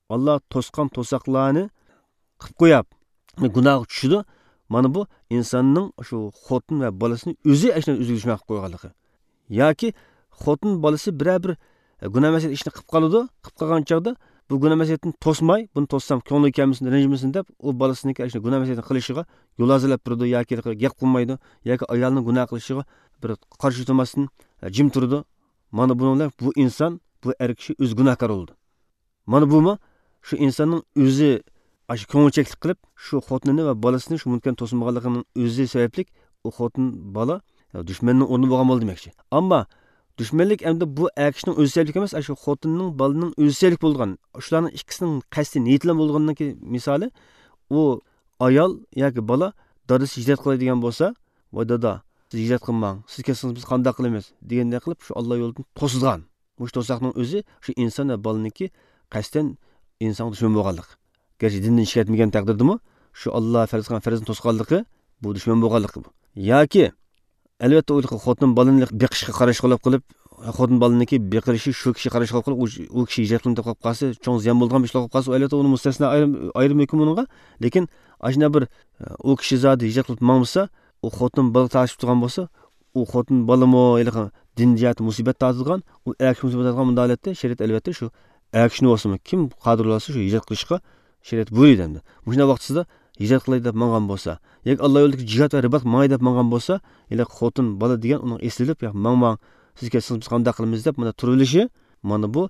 ئاللا توسقان توساقلارنى قىلىپ قويۇپ، گۇناھقا چۈشىدۇ. مانا بۇ ئىنساننىڭ شۇ خوتۇن ۋە بالىسىنى ئۆزى ئەشۇنداق ئۆزىگە دۈشمەن قىلىپ قويغانلىقى. ياكى خوتۇن بالىسى بىرەر بىر گۇناھ مەسىيەت ئىشنى قىلىپ قالىدۇ، قىلىپ قالغان چاغدا بۇ گۇناھ مەسىيەتنى توسماي، بۇنى توسسام كۆڭلى كەلمىسۇن، رەنجىمىسۇن دەپ، ئۇ بالىسىنىڭكى ئاشۇ گۇناھ مەسىيەتنى قىلىشىغا يول ھازىرلاپ بېرىدۇ ياكى گەپ قىلمايدۇ ياكى ئايالىنىڭ گۇناھ قىلىشىغا بىر قارشى تۇرماستىن جىم تۇرىدۇ. مانا بۇنىڭ بىلەن بۇ ئىنسان، بۇ ئەر كىشى ئۆزى گۇناھكار بولىدۇ. مانا بۇمۇ شۇ ئىنساننىڭ ئۆزى ئاشۇ كۆڭۈلچەكلىك قىلىپ، شۇ خوتۇنىنى ۋە بالىسىنى شۇ مۇمكىن توسمىغانلىقىنىڭ ئۆزى سەۋەبلىك ئۇ خوتۇن بالا دۈشمەننىڭ ئورنىدا بولغان بولدى دېمەكچى. ئەمما دۈشمەنلىك ئەمدى بۇ ئەر كىشىنىڭ ئۆزى سەۋەبلىك ئەمەس، ئاشۇ خوتۇننىڭ، بالىنىڭ ئۆزى سەۋەبلىك بولغان. شۇلارنىڭ ئىككىسىنىڭ قەستى نىيىتى بىلەن بولغىنىنىڭكى مىسالى، ئۇ ئايال ياكى بالا دادىسى ھىجرەت قىلاي دېگەن بولسا، «ۋاي دادا، سىز ھىجرەت قىلماڭ، سىز كەتسىڭىز بىز قانداق قىلىمىز؟» دېگەندەك قىلىپ شۇ ئاللا يولىدىن توسىدىغان. مۇشۇ توساقنىڭ ئۆزى شۇ ئىنسان ۋە بالىنىڭكى قەستەن ئىنسانغا دۈشمەن بولغانلىق. گەرچە دىندىن چىقىپ كەتمىگەن تەقدىردىمۇ، شۇ ئاللا پەرز قىلغان پەرزنى توسقانلىقى بۇ دۈشمەن بولغانلىقى بۇ. ياكى، ئەلۋەتتە، ئۇ خوتۇن بالىنى بېقىشقا قاراشقۇلۇق قىلىپ، خوتۇن بالىنىڭكى بېقىلىشى شۇ كىشى قاراشقۇلۇق قىلىپ، ئۇ، ئۇ كىشى ھىجرەت قىلىپ قېلىپ قالسا، چوڭ زىيان بولىدىغان بىر ئىش بولۇپ قالسا، ئۇ ئەلۋەتتە ئۇنى مۇستەسنا ئايرىم، ئايرىم ھۆكۈم ئۇنىڭغا. لېكىن ئاشۇنداق بىر، ئۇ كىشى زادى ھىجرەت قىلىپ ماڭمىسا، ئۇ خوتۇن بالا تارتىشىپ تۇرغان بولسا، ئۇ خوتۇن بالىمۇ ھېلىقى دىن جەھەتتە مۇسىبەت تارتىدىغان، ئۇ ئەر كىشى مۇسىبەت تارتىدىغان، مۇنداق ھالەتتە شەرىئەت ئەلۋەتتە شۇ ئەر كىشىنى بولسىمۇ، كىم قادىر بولسا شۇ ھىجرەت قىلىشقا شەرىئەت بۇيرۇيدۇ ئەمدى. مۇشۇنداق ۋاقتىسىدا ھىجرەت قىلاي دەپ ماڭغان بولسا، ياكى ئاللا يولىدىكى جىھاد ۋە رىبات ماڭاي دەپ ماڭغان بولسا، ھېلىقى خوتۇن بالا دېگەن ئۇنىڭ ئېسىلىپ، «ياق، ماڭماڭ، سىز كەتسىڭىز بىز قانداق قىلىمىز؟» دەپ مۇنداق تۇرۇۋېلىشى، مانا بۇ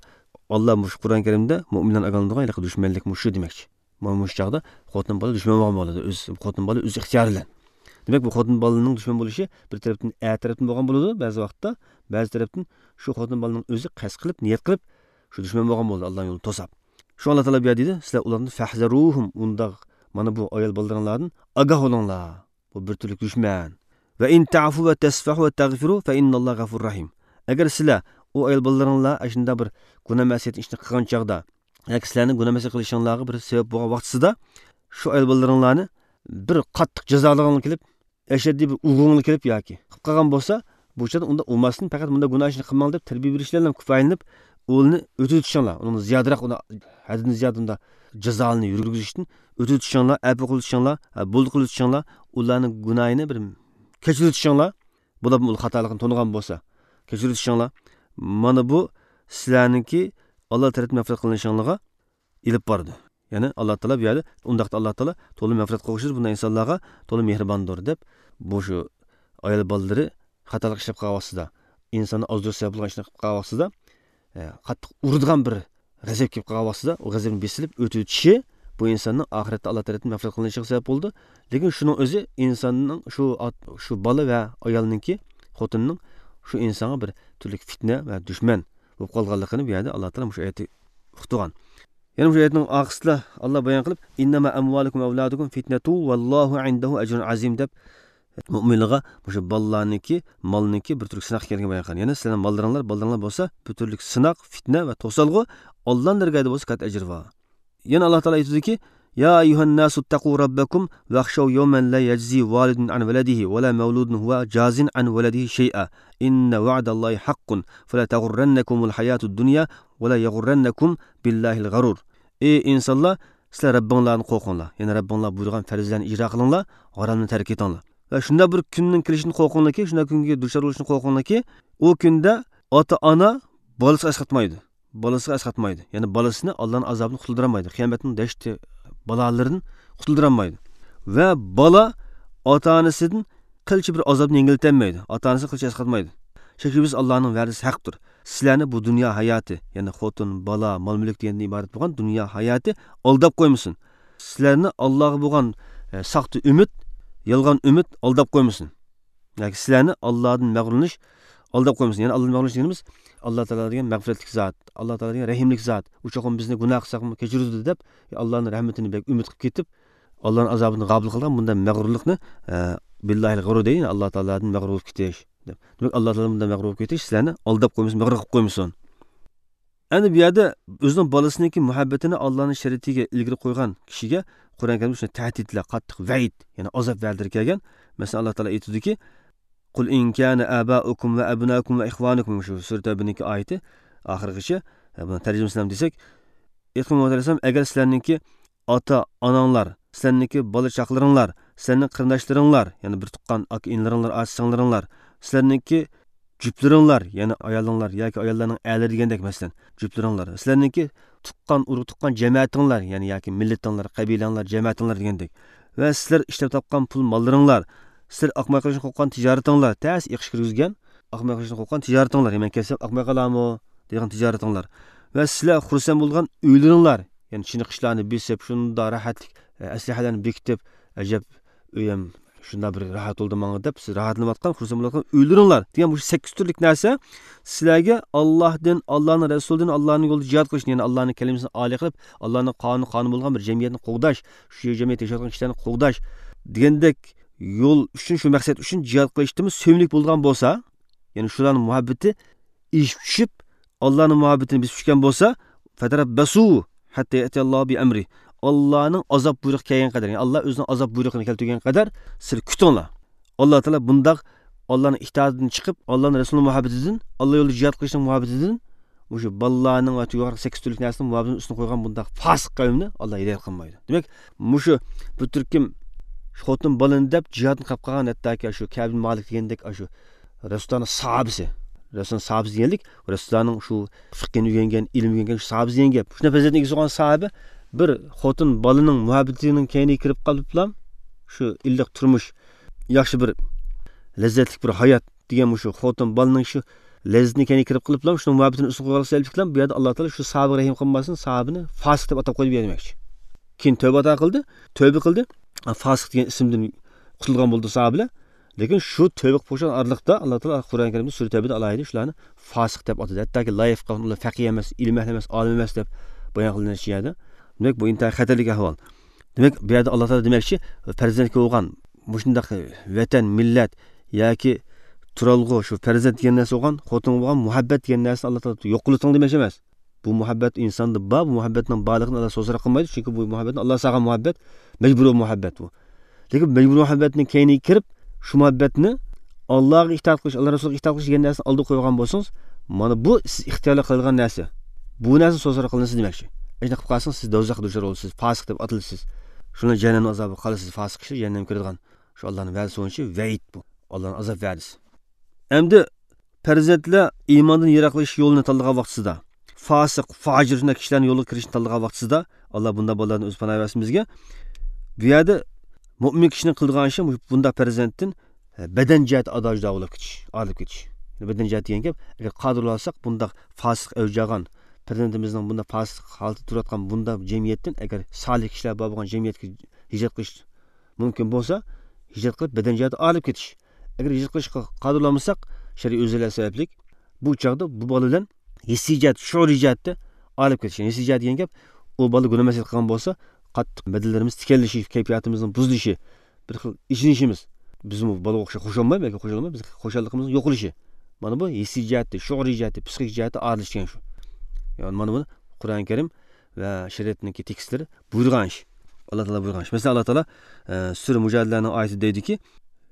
ئاللا مۇشۇ قۇرئان كەرىمدە مۆمىنلەرنى ئاگاھلاندۇرغان ھېلىقى دۈشمەنلىك مۇشۇ دېمەكچى. مانا مۇشۇ چاغدا خوتۇن بالا دۈشمەن بولغان بولىدۇ، ئۆز، خوتۇن بالا ئۆز ئىختىيارى بىلەن. دېمەك، بۇ خوتۇن بالىنىڭ دۈشمەن بولۇشى بىر تەرەپتىن ئەر تەرەپتىن بولغان بولىدۇ، بەزى ۋاقىتتا، بەزى تەرەپتىن شۇ خوتۇن بالىنىڭ ئۆزى قەست قىلىپ، نىيەت قىلىپ، شۇ دۈشمەن بولغان بولىدۇ، ئاللا يولىنى توساپ. شۇ ئاللا تائالا بۇ يەردە دېدى، سىلەر ئۇلاردىن، فەھزەرۇھۇم، ئۇنداق، مانا بۇ ئايال بالىلىرىڭلاردىن ئاگاھ بولۇڭلار. بۇ بىر تۈرلۈك دۈشمەن. ۋە ئىن تەفۇ ۋە تەسفەھۇ ۋە تەغفىرۇ فە ئىننەللاھە غەفۇر رەھىم. ئەگەر سىلەر ئۇ ئايال بالىلىرىڭلار ئاشۇنداق بىر گۇناھ مەسىيەت ئىشنى قىلغان چاغدا، ياكى سىلەرنىڭ گۇناھ مەسىيەت قىلىشىڭلارغا بىر سەۋەب بولغان ۋاقتىسىدا، شۇ ئايال بالىلىرىڭلارنى بىر قاتتىق جازالىغىڭلار كېلىپ، ئەشەددىي بىر ئۇرغۇڭلار كېلىپ ياكى قىلىپ قالغان بولسا، بۇ چاغدا ئۇنداق ئۇرماستىن، پەقەت مۇنداق گۇناھ ئىشنى قىلماڭ دەپ تەربىيە بېرىشلەر بىلەن كۇپايىلىنىپ، ئۇنى ئۆتۈۋېتىشىڭلار، ئۇنىڭ زىيادىراق، ئۇنى ھەددىدىن زىيادە ئۇنداق جازالىنى يۈرگۈزۈشتىن ئۆتۈۋېتىشىڭلار، ئەپۇ قىلىۋېتىشىڭلار، ھە، بولدى قىلىۋېتىشىڭلار، ئۇلارنىڭ گۇناھىنى بىر كەچۈرۈۋېتىشىڭلار، بۇلارمۇ ئۇلۇغ خاتالىقىنى تونۇغان بولسا، كەچۈرۈۋېتىشىڭلار. مانا بۇ سىلەرنىڭكى ئاللا تەرەپتىن مەغپىرەت قىلىنىشىڭلارغا ئېلىپ بارىدۇ. يەنى ئاللا تائالا بۇ يەردە، ئۇنداقتا ئاللا تائالا تولا مەغپىرەت قىلغۇچىدۇر، بۇنداق ئىنسانلارغا تولا مېھرىباندۇر دەپ، بۇ شۇ ئايال بالىلىرى خاتالىق ئىشلەپ قالغان ۋاقتىدا، ئىنساننى ئازدۇرۇش سەۋەب بولغان ئىشنى قىلىپ قالغان ۋاقتىدا، ئە، قاتتىق ئۇرىدىغان بىر غەزەپ كېلىپ قالغان ۋاقتىدا، ئۇ غەزەپنى بېسىلىپ ئۆتۈۋېتىشى بۇ ئىنساننىڭ ئاخىرەتتە ئاللا تەرەپتىن مەغپىرەت قىلىنىشىغا سەۋەب بولىدۇ. لېكىن شۇنىڭ ئۆزى ئىنساننىڭ شۇ ئات-، شۇ بالا ۋە ئايالنىڭكى خوتۇننىڭ شۇ ئىنسانغا بىر تۈرلۈك پىتنە ۋە دۈشمەن بولۇپ قالغانلىقىنى بۇ يەردە ئاللا تائالا مۇشۇ ئايەتتە ئۇقتۇرغان. يەنە مۇشۇ ئايەتنىڭ ئارقىسىدا ئاللا بايان قىلىپ، «إنما أموالكم وأولادكم فتنة والله عنده أجر عظيم» دەپ، مۆمىنلارغا مۇشۇ بالىلارنىڭكى، مالنىڭكى بىر تۈرلۈك سىناق ئىكەنلىكىنى بايان قىلغان. يەنى سىلەرنىڭ بالىلىرىڭلار، بالىلىرىڭلار بولسا بىر تۈرلۈك سىناق، پىتنە ۋە توسالغۇ، ئاللانىڭ دەرگاھىدا بولسا كاتتا ئەجرى بار. يەنە ئاللا تائالا ئېيتىدۇكى، «يا أيها الناس اتقوا ربكم واخشوا يوما لا يجزي والد عن ولده ولا مولود هو جاز عن ولده شيئا إن وعد الله حق فلا تغرنكم الحياة الدنيا ولا يغرنكم بالله الغرور». ئى ئىنسانلار، سىلەر رەببىڭلاردىن قورقۇڭلار. يەنى رەببىڭلار بۇيرۇغان پەرزلەرنى ئىجرا قىلىڭلار، ھارامنى تەرك ئېتىڭلار. ۋە شۇنداق بىر كۈننىڭ كېلىشىدىن قورقۇڭلاركى، شۇنداق كۈنگە دۇچار بولۇشتىن قورقۇڭلاركى، ئۇ كۈندە ئاتا-ئانا بالىسىغا ئەسقاتمايدۇ. بالىسىغا ئەسقاتمايدۇ. يەنى بالىسىنى ئاللانىڭ ئازابىدىن قۇتۇلدۇرالمايدۇ. قىيامەتنىڭ دەھشىتى بالالىرىدىن قۇتۇلدۇرالمايدۇ. ۋە بالا ئاتا-ئانىسىدىن قىلچە بىر ئازابنى يەڭگىللىتەلمەيدۇ. ئاتا-ئانىسىنى قىلچە ئەسقاتمايدۇ. شەكسىز ئاللانىڭ ۋەدىسى ھەقتۇر. سىلەرنى بۇ دۇنيا ھاياتى، يەنى خوتۇن، بالا، مال-مۈلۈك دېگەندىن ئىبارەت بولغان دۇنيا ھاياتى ئالداپ قويمىسۇن. سىلەرنى ئاللاغا بولغان، ئە، ساختا ئۈمىد، يالغان ئۈمىد ئالداپ قويمىسۇن. ياكى سىلەرنى ئاللادىن مەغرۇرلىنىش ئالداپ قويمىسۇن. يەنى ئاللادىن مەغرۇرلىنىش دېگىنىمىز، ئاللا تائالا دېگەن مەغپىرەتلىك زات، ئاللا تائالا دېگەن رەھىملىك زات. ئۇ چوقۇم بىزنى گۇناھ قىلساقمۇ كەچۈرىدۇ دەپ، ئاللانىڭ رەھمىتىنى بەك ئۈمىد قىلىپ كېتىپ، ئاللانىڭ ئازابىدىن غاپىل قىلغان بۇنداق مەغرۇرلۇقنى، ئە، باللهِ الغرور دەيدۇ. يەنى ئاللا تائالادىن مەغرۇر بولۇپ كېتىش. دېمەك، ئاللا تائالا بۇنداق مەغرۇر بولۇپ كېتىش سىلەرنى ئالداپ قويمىسۇن، مەغرۇر قىلىپ قويمىسۇن. ئەمدى بۇ يەردە ئۆزىنىڭ بالىسىنىڭكى مۇھەببىتىنى ئاللانىڭ شەرىئىتىگە ئىلگىرى قويغان كىشىگە قۇرئان كەرىمدە شۇنداق تەھدىتلەر، قاتتىق ۋەئىد، يەنى ئازاب ۋەدىلىرى كەلگەن. مەسىلەن، ئاللا تائالا ئېيتىدۇكى، «قل إن كان آباؤكم وأبناؤكم وإخوانكم»، شۇ سۈرە تەۋبىنىڭكى ئايىتى ئاخىرغىچە، بۇنى تەرجىمىسىنى دېسەك، ئېيتقىن مۇھەممەد ئەلەيھىسسالام، ئەگەر سىلەرنىڭكى ئاتا-ئاناڭلار، سىلەرنىڭكى بالا-چاقىلىرىڭلار، سىلەرنىڭ قېرىنداشلىرىڭلار، يەنى بىر تۇغقان ئاكا-ئىنىلىرىڭلار، ئاچا-سىڭىللىرىڭلار، سىلەرنىڭكى جۈپلىرىڭلار، يەنى ئايالىڭلار ياكى ئاياللارنىڭ ئەرلىرى دېگەندەك، مەسىلەن، جۈپلىرىڭلار، سىلەرنىڭكى تۇغقان، ئۇرۇق تۇغقان جەمەتىڭلار، يەنى ياكى مىللىتىڭلار، قەبىلەڭلار، جەمەتىڭلار دېگەندەك، ۋە سىلەر ئىشلەپ تاپقان پۇل ماللىرىڭلار، سىلەر ئاقماي قېلىشتىن قورققان تىجارىتىڭلار، تەس ئېقىش كىرگۈزگەن، ئاقماي قېلىشتىن قورققان تىجارىتىڭلار، يەنى مەن كەتسەم ئاقماي قالامۇ دېگەن تىجارىتىڭلار، ۋە سىلەر خۇرسەن بولغان ئۆيلىرىڭلار، يەنى چېنىقىشلارنى بېسىپ، شۇنداق راھەتلىك، ئە، ئەسلىھەلەرنى بېكىتىپ، ئەجەب ئۆيۈم شۇنداق بىر راھەت بولدى ماڭا دەپ، سىز راھەتلىنىۋاتقان، خۇرسەن بولۇۋاتقان ئۆيلىرىڭلار دېگەن مۇشۇ سەككىز تۈرلۈك نەرسە سىلەرگە ئاللاھتىن، ئاللانىڭ رەسۇلىدىن، ئاللانىڭ يولىدا جىھاد قىلىشنى، يەنى ئاللانىڭ كەلىمىسىنى ئالىي قىلىپ، ئاللانىڭ قانۇنى قانۇن بولغان بىر جەمئىيەتنى قوغداش، شۇ جەمئىيەتتە ياشاۋاتقان كىشىلەرنى قوغداش دېگەندەك يول ئۈچۈن، شۇ مەقسەت ئۈچۈن جىھاد قىلىشتىمۇ سۆيۈملۈك بولغان بولسا، يەنى شۇلارنىڭ مۇھەببىتى ئېشىپ چۈشۈپ، ئاللانىڭ مۇھەببىتىنى بېسىپ چۈشكەن بولسا، «فتربصوا حتى يأتي الله بأمره»، ئاللانىڭ ئازاب بۇيرۇقى كەلگەن قەدەر، يەنى ئاللا ئۆزىنىڭ ئازاب بۇيرۇقىنى كەلتۈرگەن قەدەر سىلەر كۈتۈڭلار. ئاللا تائالا بۇنداق ئاللانىڭ ئىتائىتىدىن چىقىپ، ئاللانىڭ رەسۇلىنىڭ مۇھەببىتىدىن، ئاللا يولىدا جىھاد قىلىشنىڭ مۇھەببىتىدىن، مۇشۇ بالىلارنىڭ ۋە يۇقىرىقى سەككىز تۈرلۈك نەرسىنىڭ مۇھەببىتىنىڭ ئۈستىنى قويغان بۇنداق پاسىق قەۋمنى ئاللا ھىدايەت قىلمايدۇ. دېمەك، مۇشۇ بىر تۈركۈم خوتۇن بالىنى دەپ جىھادنى قىلىپ قالغان، ھەتتاكى شۇ كەبىن مالىك دېگەندەك، شۇ رەسۇلۇللانىڭ ساھابىسى، رەسۇلۇللانىڭ ساھابىسى دېگەنلىك، رەسۇلۇللانىڭ شۇ فىقھىنى ئۆگەنگەن، ئىلىم ئۆگەنگەن شۇ ساھابىسى دېگەن گەپ. شۇنداق پەزىلەتنىڭ ئىگىسى بولغان ساھابە بىر خوتۇن بالىنىڭ مۇھەببىتىنىڭ كەينىگە كىرىپ قېلىپلا، شۇ ئىللىق تۇرمۇش، ياخشى بىر لەززەتلىك بىر ھايات دېگەن مۇشۇ خوتۇن بالىنىڭ شۇ لەززىتىنىڭ كەينىگە كىرىپ قېلىپلا، شۇنىڭ مۇھەببىتىنى ئۈستۈن قويغانلىقى سەۋەبلىكلا، بۇ يەردە ئاللا تائالا شۇ ساھابىگە رەھىم قىلماستىن، ساھابىنى فاسىق دەپ ئاتاپ قويدى بۇ يەردە دېمەكچى. كېيىن تەۋبە ئاتا قىلدى، تەۋبە قىلدى. فاسىق دېگەن ئىسىمدىن قۇتۇلغان بولدى ساھابىلەر. لېكىن شۇ تەۋبە قىلىپ بولغان ئارىلىقتا ئاللا تائالا قۇرئان كەرىمدە سۈرە تەۋبىدە ئالاھىدە شۇلارنى فاسىق دەپ ئاتىدى. ھەتتاكى لا يەفقەھۇن، ئۇلار فەقىھ ئەمەس، ئىلىم ئەھلى ئەمەس، ئالىم ئەمەس دەپ بايان قىلىنىدۇ شۇ يەردە. دېمەك، بۇ ئىنتايىن خەتەرلىك ئەھۋال. دېمەك، بۇ يەردە ئاللا تائالا دېمەكچى، پەرزەنتكە بولغان مۇشۇنداق ۋەتەن، مىللەت ياكى تۇرالغۇ، شۇ پەرزەنت دېگەن نەرسە بولغان، خوتۇنغا بولغان مۇھەببەت دېگەن نەرسىنى ئاللا تائالا يوق قىلىۋېتىڭ دېمەكچى ئەمەس. بۇ مۇھەببەت ئىنساندا بار، بۇ مۇھەببەتنىڭ بارلىقىنى ئاللا سوزۇرۇق قىلمايدۇ، چۈنكى بۇ مۇھەببەتنى ئاللا سالغان مۇھەببەت، مەجبۇرىي مۇھەببەت بۇ. لېكىن مەجبۇرىي مۇھەببەتنىڭ كەينىگە كىرىپ، شۇ مۇھەببەتنى ئاللاغا ئىتائەت قىلىش، ئاللا رەسۇلىغا ئىتائەت قىلىش دېگەن نەرسىنى ئالدىغا قويغان بولسىڭىز، مانا بۇ سىز ئىختىيارلىق قىلىدىغان نەرسە. بۇ نەرسە سوزۇرۇق قىلىنسا دېمەكچى. ئەگەر قىلىپ قالسىڭىز، سىز دوزاخقا دۇچار بولىسىز، پاسىق دەپ ئاتىلىسىز. شۇنىڭ جەھەننەم ئازابىغا قالىسىز، پاسىق كىشىلەر جەھەننەمگە كىرىدىغان. شۇ ئاللانىڭ ۋەدىسى بويىچە ۋەئىد بۇ. ئاللانىڭ ئازاب ۋەدىسى. ئەمدى پەرزەنتلەر ئىماندىن يىراقلىشىش يولىنى تاللىغان ۋاقتىسىدا، فاسىق، فاجىر شۇنداق كىشىلەرنىڭ يولىغا كىرىشنى تاللىغان ۋاقتىسىدا، ئاللا بۇنداق بالىلاردىن ئۆزى پاناھ بەرسۇن بىزگە. بۇ يەردە مۆمىن كىشىنىڭ قىلىدىغان ئىشى مۇشۇ بۇنداق پەرزەنتتىن، ئە، بەدەن جەھەتتە ئادا جۇدا بولۇپ كېتىش، ئايرىلىپ كېتىش. بەدەن جەھەتتە دېگەن گەپ، ئەگەر قادىر بولالىساق، بۇنداق فاسىق ئەۋج ئالغان پەرزەنتىمىزنىڭ بۇنداق پاسىق ھالەتتە تۇرۇۋاتقان بۇنداق جەمئىيەتتىن، ئەگەر سالىھ كىشىلەر بار بولغان جەمئىيەتكە ھىجرەت قىلىش مۇمكىن بولسا، ھىجرەت قىلىپ بەدەن جەھەتتە ئايرىلىپ كېتىش. ئەگەر ھىجرەت قىلىشقا قادىر بولمىساق، شەرئىي ئۆزرىلەر سەۋەبلىك، بۇ چاغدا بۇ بالا بىلەن ھېسسىي جەھەت، شۇئۇرىي جەھەتتە ئايرىلىپ كېتىش. ھېسسىي جەھەت دېگەن گەپ، ئۇ بالا گۇناھ مەسىيەت قىلغان بولسا، قاتتىق بەدەنلىرىمىز تىكەنلىشىش، كەيپىياتىمىزنىڭ بۇزۇلۇشى، بىر خىل ئېچىنىشىمىز، بىزمۇ بالىغا ئوخشاپ خۇشالمايمىز ياكى خۇشالمايمىز، بىز خۇشاللىقىمىزنىڭ يوقىلىشى. مانا بۇ ھېسسىي جەھەتتە، شۇئۇرىي جەھەتتە، پسىخىك جەھەتتە ئايرىلىش دېگەن شۇ. يەنى مانا بۇنى قۇرئان كەرىم ۋە شەرىئەتنىڭكى تېكىستلىرى بۇيرۇغان ئىش. ئاللا تائالا بۇيرۇغان ئىش. مەسىلەن، ئاللا تائالا، ئە، سۈرە مۇجادىلەنىڭ ئايىتىدە دەيدۇكى،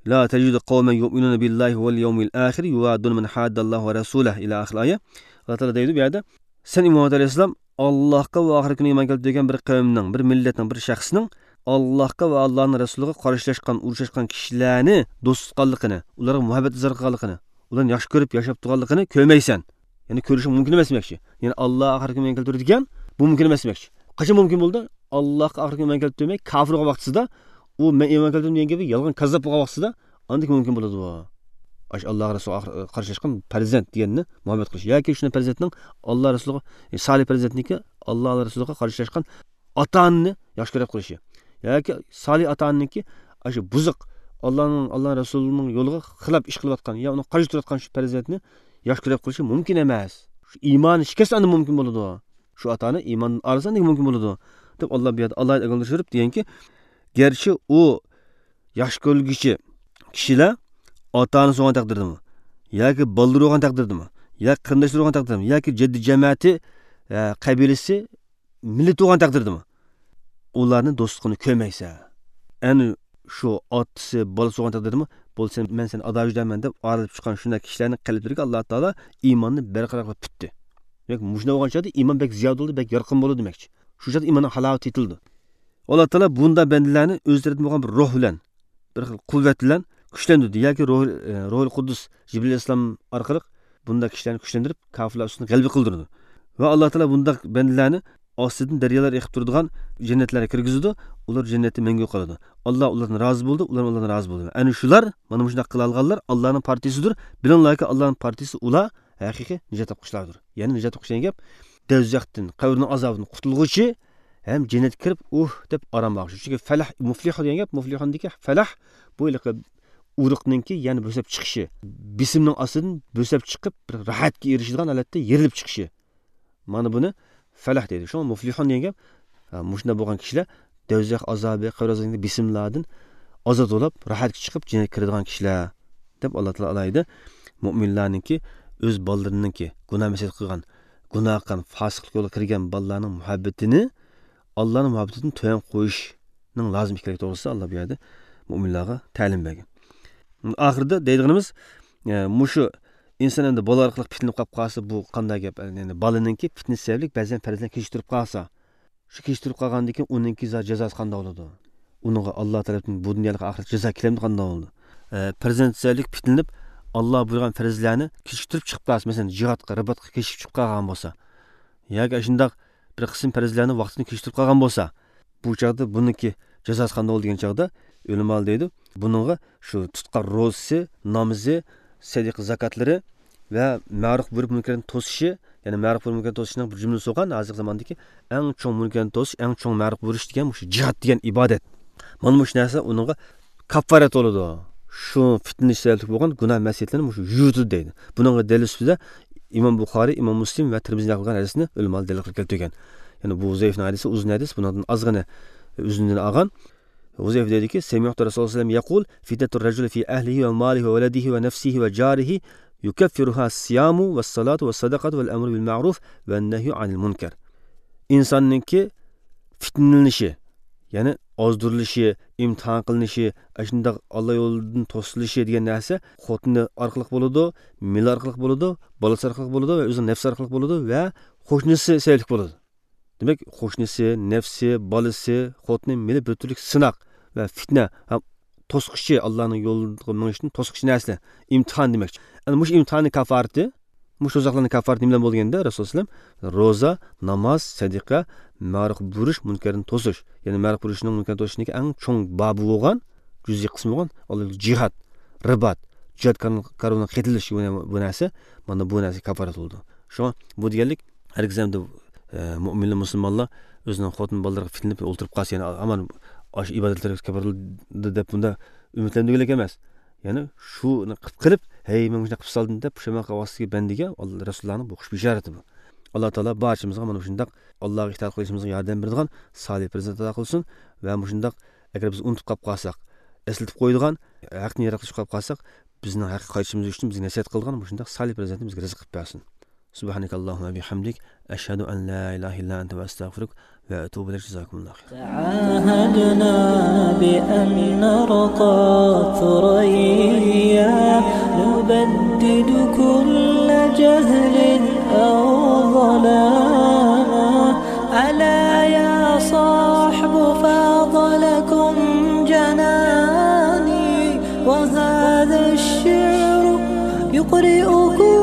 لا تجد قوما يؤمنون بالله واليوم الآخر يوادون من حاد الله ورسوله إلى آخر الآية. ئاللا تائالا دەيدۇ بۇ يەردە، سەن ئى مۇھەممەد ئەلەيھىسسالام، ئاللاھقا ۋە ئاخىرەت كۈنىگە ئىمان كەلتۈرگەن بىر قەۋمنىڭ، بىر مىللەتنىڭ، بىر شەخسنىڭ ئاللاھقا ۋە ئاللاھنىڭ رەسۇلىغا قارشىلاشقان، ئۇرۇشۇشقان كىشىلەرنى دوست تۇتقانلىقىنى، ئۇلارغا مۇھەببەت ئىزھار قىلغانلىقىنى، ئۇلارنى ياخشى كۆرۈپ ياشاپ تۇرغانلىقىنى كۆرمەيسەن. يەنى كۆرۈشۈڭ مۇمكىن ئەمەس دېمەكچى. يەنى ئاللا ئاخىرەت كۈنىگە ئىمان كەلتۈردى دېگەن، بۇ مۇمكىن ئەمەس دېمەكچى. قاچان مۇمكىن بولىدۇ؟ ئاللاھقا ئاخىرەت كۈنىگە ئىمان كەلتۈرمەي، كاپىر بولغان ۋاقتىسىدا، ئۇ مەن ئىمان كەلتۈردۈم دېگەن گېپى يالغان، كاززاپ بولغان ۋاقتىسىدا، ئاندىن كېيىن مۇمكىن بولىدۇ. ئاشۇ ئاللا رەسۇلىغا قارشىلاشقان پەرزەنت دېگەننى مۇھەببەت قىلىش ياكى شۇنداق پەرزەنتنىڭ ئاللا رەسۇلىغا، سالىھ پەرزەنتنىڭكى ئاللا رەسۇلىغا قارشىلاشقان ئاتا ئانىنى ياخشى كۆرۈپ قىلىشى ياكى سالىھ ئاتا ئانىنىڭكى ئاشۇ بۇزۇق، ئاللانىڭ، ئاللا رەسۇلىنىڭ يولىغا خىلاپ ئىش قىلىۋاتقان يا ئۇنىڭغا قارشى تۇرۇۋاتقان شۇ پەرزەنتنى ياخشى كۆرۈپ قىلىشى مۇمكىن ئەمەس. شۇ ئىمانى شىكەستە ئاندىن مۇمكىن بولىدۇ. شۇ ئاتا ئانا ئىماندىن ئايرىلسا ئاندىن مۇمكىن بولىدۇ، دەپ ئاللا بۇ يەردە ئالاھىدە ئاگاھلاندۇرۇپ دېگەنكى، گەرچە ئۇ ياخشى كۆرۈلگۈچى كىشىلەر ئاتا ئانىسى بولغان تەقدىردىمۇ ياكى بالىلىرى بولغان تەقدىردىمۇ ياكى قېرىنداشلىرى بولغان تەقدىردىمۇ ياكى جەددى جەمەتى، ئە، قەبىلىسى، مىللىتى بولغان تەقدىردىمۇ ئۇلارنى دوستلۇقىنى كۆرمەيسەن. ئەنە شۇ ئاتىسى، بالىسى بولغان تەقدىردىمۇ، بولسا مەن سېنى ئادا ئۆيدەمەن دەپ ئايرىلىپ چىققان شۇنداق كىشىلەرنىڭ قەلبلىرىگە ئاللا تائالا ئىماننى بەرقارار قىلىپ پۈتتى. دېمەك، مۇشۇنداق بولغان چاغدا ئىمان بەك زىيادە بولىدۇ، بەك يارقىن بولىدۇ دېمەكچى. شۇ چاغدا ئىماننىڭ ھالاۋىتى يېتىلىدۇ. ئاللا تائالا بۇنداق بەندىلەرنى ئۆز تەرىپىدىن بولغان بىر روھ بىلەن، بىر خىل قۇۋۋەت بىلەن كۈچلەندۈردى ياكى روھ، ئە، روھۇل قۇددۇس جىبرىل ئەلەيھىسسالام ئارقىلىق بۇنداق كىشىلەرنى كۈچلەندۈرۈپ، كاپىرلار ئۈستىدىن غەلىبە قىلدۇرىدۇ. ۋە ئاللا تائالا بۇنداق بەندىلەرنى ئاستىدىن دەريالار ئېقىپ تۇرىدىغان جەننەتلەرگە كىرگۈزىدۇ. ئۇلار جەننەتتە مەڭگۈ قالىدۇ. ئاللا ئۇلاردىن رازى بولىدۇ، ئۇلار ئاللادىن رازى بولىدۇ. ئەنە شۇلار، مانا مۇشۇنداق قىلالىغانلار ئاللانىڭ پارتىيىسىدۇر. بىلىڭلاركى، ئاللانىڭ پارتىيىسى ئۇلار ھەقىقىي نىجات تاپقۇچىلاردۇر. يەنى نىجات تاپقۇچى دېگەن گەپ، دوزاختىن، قەبرىنىڭ ئازابىدىن قۇتۇلغۇچى ھەم جەننەتكە كىرىپ، ئۇھ دەپ ئارام ئالغۇچى. چۈنكى فەلەھ، مۇفلىھۇ دېگەن گەپ، مۇفلىھۇندىكى فەلەھ، بۇ ھېلىقى ئۇرۇقنىڭكى، يەنى بۆسۈپ چىقىشى، بېسىمنىڭ ئاستىدىن بۆسۈپ چىقىپ، بىر راھەتكە ئېرىشىدىغان ھالەتتە يېرىلىپ چىقىشى. مانا بۇنى فەلەھ دەيدۇ. شۇڭا مۇفلىھۇن دېگەن گەپ، ھە، مۇشۇنداق بولغان كىشىلەر دوزاخ ئازابى، قەبرە ئازابىدىن، بېسىملاردىن ئازاد بولۇپ، راھەتكە چىقىپ، جەننەتكە كىرىدىغان كىشىلەر، دەپ ئاللا تائالا ئالاھىدە مۆمىنلەرنىڭكى ئۆز بالىلىرىنىڭكى گۇناھ مەسىيەت قىلغان، گۇناھ قىلغان، پاسىقلىق يولىغا كىرگەن بالىلارنىڭ مۇھەببىتىنى ئاللانىڭ مۇھەببىتىدىن تۆۋەن قويۇشنىڭ لازىم ئىكەنلىكى توغرىسىدا ئاللا بۇ يەردە مۆمىنلارغا تەلىم بەرگەن. ئاخىرىدا دەيدىغىنىمىز، ئە، مۇشۇ ئىنسان ئەمدى بالا ئارقىلىق پىتنىلىنىپ قاپ قالسا، بۇ قانداق گەپ؟ يەنى بالىنىڭكى پىتنىسى سەۋەبلىك بەزەن پەرزلەر كېچىكتۈرۈپ قالسا، شۇ كېچىكتۈرۈپ قالغاندىن كېيىن ئۇنىڭكى جازاسى قانداق بولىدۇ؟ ئۇنىڭغا ئاللا تەرەپتىن بۇ دۇنيالىق ئاخىرەت جازا كېلەمدۇ، قانداق بولىدۇ؟ ئە، پەرزەنت سەۋەبلىك پىتنىلىنىپ، ئاللا بۇيرۇغان پەرزلەرنى كېچىكتۈرۈپ چىقىپ قالسا، مەسىلەن، جىھادقا، رىباتقا كېچىكىپ چىقىپ قالغان بولسا، ياكى ئاشۇنداق بىر قىسىم پەرزلەرنى ۋاقتىدىن كېچىكتۈرۈپ قالغان بولسا، بۇ چاغدا بۇنىڭكى جازاسى قانداق بولىدۇ دېگەن چاغدا، ئۆلىمالار دەيدۇ، بۇنىڭغا شۇ تۇتقان روزىسى، نامىزى، سەدىقە زاكاتلىرى ۋە مەرۇف بۇيرۇپ مۇنكەرنى توسۇشى، يەنى مەرۇف بۇيرۇپ مۇنكەرنى توسۇشنىڭ بىر جۈملىسى بولغان، ھازىرقى زاماندىكى ئەڭ چوڭ مۇنكەرنى توسۇش، ئەڭ چوڭ مەرۇف بۇيرۇش دېگەن مۇشۇ جىھاد دېگەن ئىبادەت. مانا مۇشۇ نەرسە ئۇنىڭغا كاپپارەت بولىدۇ. شۇ پىتنىلىنىش سەۋەبلىك بولغان گۇناھ مەسىيەتلەرنى مۇشۇ يۇيۇۋېتىدۇ دەيدۇ. بۇنىڭغا دەلىل سۈپىتىدە ئىمام بۇخارىي، ئىمام مۇسلىم ۋە تىرمىزى نەقىل قىلغان ھەدىسنى ئۆلىمالار دەلىل قىلىپ كەلتۈرگەن. يەنى بۇ ھۇزەيفىنىڭ ھەدىسى ئۇزۇن ھەدىس، بۇنىڭدىن ئازغىنە ئۆزۈندىن ئالغان. ھۇزەيفە دەيدۇكى، سەمىئتۇ رەسۇلۇللاھ سەللەللاھۇ ئەلەيھى ۋەسەللەم يەقۇل، فىتنەتۇر رەجۇلى فى ئەھلىھى ۋە مالىھى ۋە ۋەلەدىھى ۋە نەفسىھى ۋە جارىھى يۇكەففىرۇھا سىيامۇ ۋەسسالاتۇ ۋەسسەدەقەتۇ ۋەلئەمرۇ بىلمەرۇف ۋەننەھيۇ ئەنىل مۇنكەر. ئىنساننىڭكى پىتنىلىنىشى، يەنى ئازدۇرۇلۇشى، ئىمتىھان قىلىنىشى، ئاشۇنداق ئاللا يولىدىن توسۇلۇشى دېگەن نەرسە خوتۇنى ئارقىلىق بولىدۇ، مېلى ئارقىلىق بولىدۇ، بالىسى ئارقىلىق بولىدۇ ۋە ئۆزىنىڭ نەپسى ئارقىلىق بولىدۇ ۋە قوشنىسى سەۋەبلىك بولىدۇ. دېمەك، قوشنىسى، نەپسى، بالىسى، خوتۇنى، مېلى بىر تۈرلۈك سىناق ۋە پىتنە ھەم توسقۇچى، ئاللانىڭ يولىغا مېڭىشتىن توسقۇچى نەرسىلەر. ئىمتىھان دېمەكچى. ئەنە مۇشۇ ئىمتىھاننىڭ كاپپارىتى، مۇشۇ دوزاخلارنىڭ كاپپارىتى نېمە بىلەن بولىدۇ دېگەندە، رەسۇلۇللاھ ئەلەيھىسسالام، روزا، ناماز، سەدىقە، مەرۇف بۇيرۇش، مۇنكەردىن توسۇش. يەنى مەرۇف بۇيرۇشنىڭ، مۇنكەردىن توسۇشنىڭكى ئەڭ چوڭ بابى بولغان، جۈزئىي قىسمى بولغان، ئاللا يولىدا جىھاد، رىبات، جىھاد كارۋانىغا قېتىلىش، بۇ، بۇ نەرسە، مانا بۇ نەرسە كاپپارەت بولىدۇ. شۇڭا بۇ دېگەنلىك، ھەرگىز ئەمدى، ئە، مۆمىنلەر، مۇسۇلمانلار ئۆزىنىڭ خوتۇن بالىلىرىغا پىتنىلىنىپ ئولتۇرۇپ قالسا، يەنى ئامان ئاشۇ ئىبادەتلەرگە كاپپارەت بولىدۇ دەپ بۇندا ئۈمىدلەندۈرگۈلۈك ئەمەس. يەنى شۇنى قىلىپ قېلىپ، ھەي، مەن مۇشۇنداق قىلىپ سالدىم دەپ پۇشايمان قىلىۋاتقان بەندىگە ئاللا، رەسۇلۇللانىڭ بۇ خۇشبۇي ئىشارىتى بۇ. ئاللا تائالا بارچىمىزغا مانا مۇشۇنداق ئاللاغا ئىتائەت قىلىشىمىزغا ياردەم بېرىدىغان سالىھ پەرزەنت ئاتا قىلسۇن ۋە مۇشۇنداق، ئەگەر بىز ئۇنتۇپ قاپ قالساق، ئەسلىتىپ قويىدىغان، ھەقنى يىراقلىشىپ قاپ قالساق، بىزنىڭ ھەققە قايتىشىمىز ئۈچۈن بىزگە نەسىھەت قىلىدىغان مۇشۇنداق سالىھ پەرزەنتنى بىزگە رىزىق قىلىپ بەرسۇن. سبحانك اللهم وبحمدك، أشهد أن لا إله إلا أنت، أستغفرك وأتوب إليك. جزاكم الله خيرا. تعاهدنا بأن نرقى ثريا، نبدد كل جهل أو ظلام. ألا يا صاحب، فاض لكم جناني، وهذا الشعر يقرئكم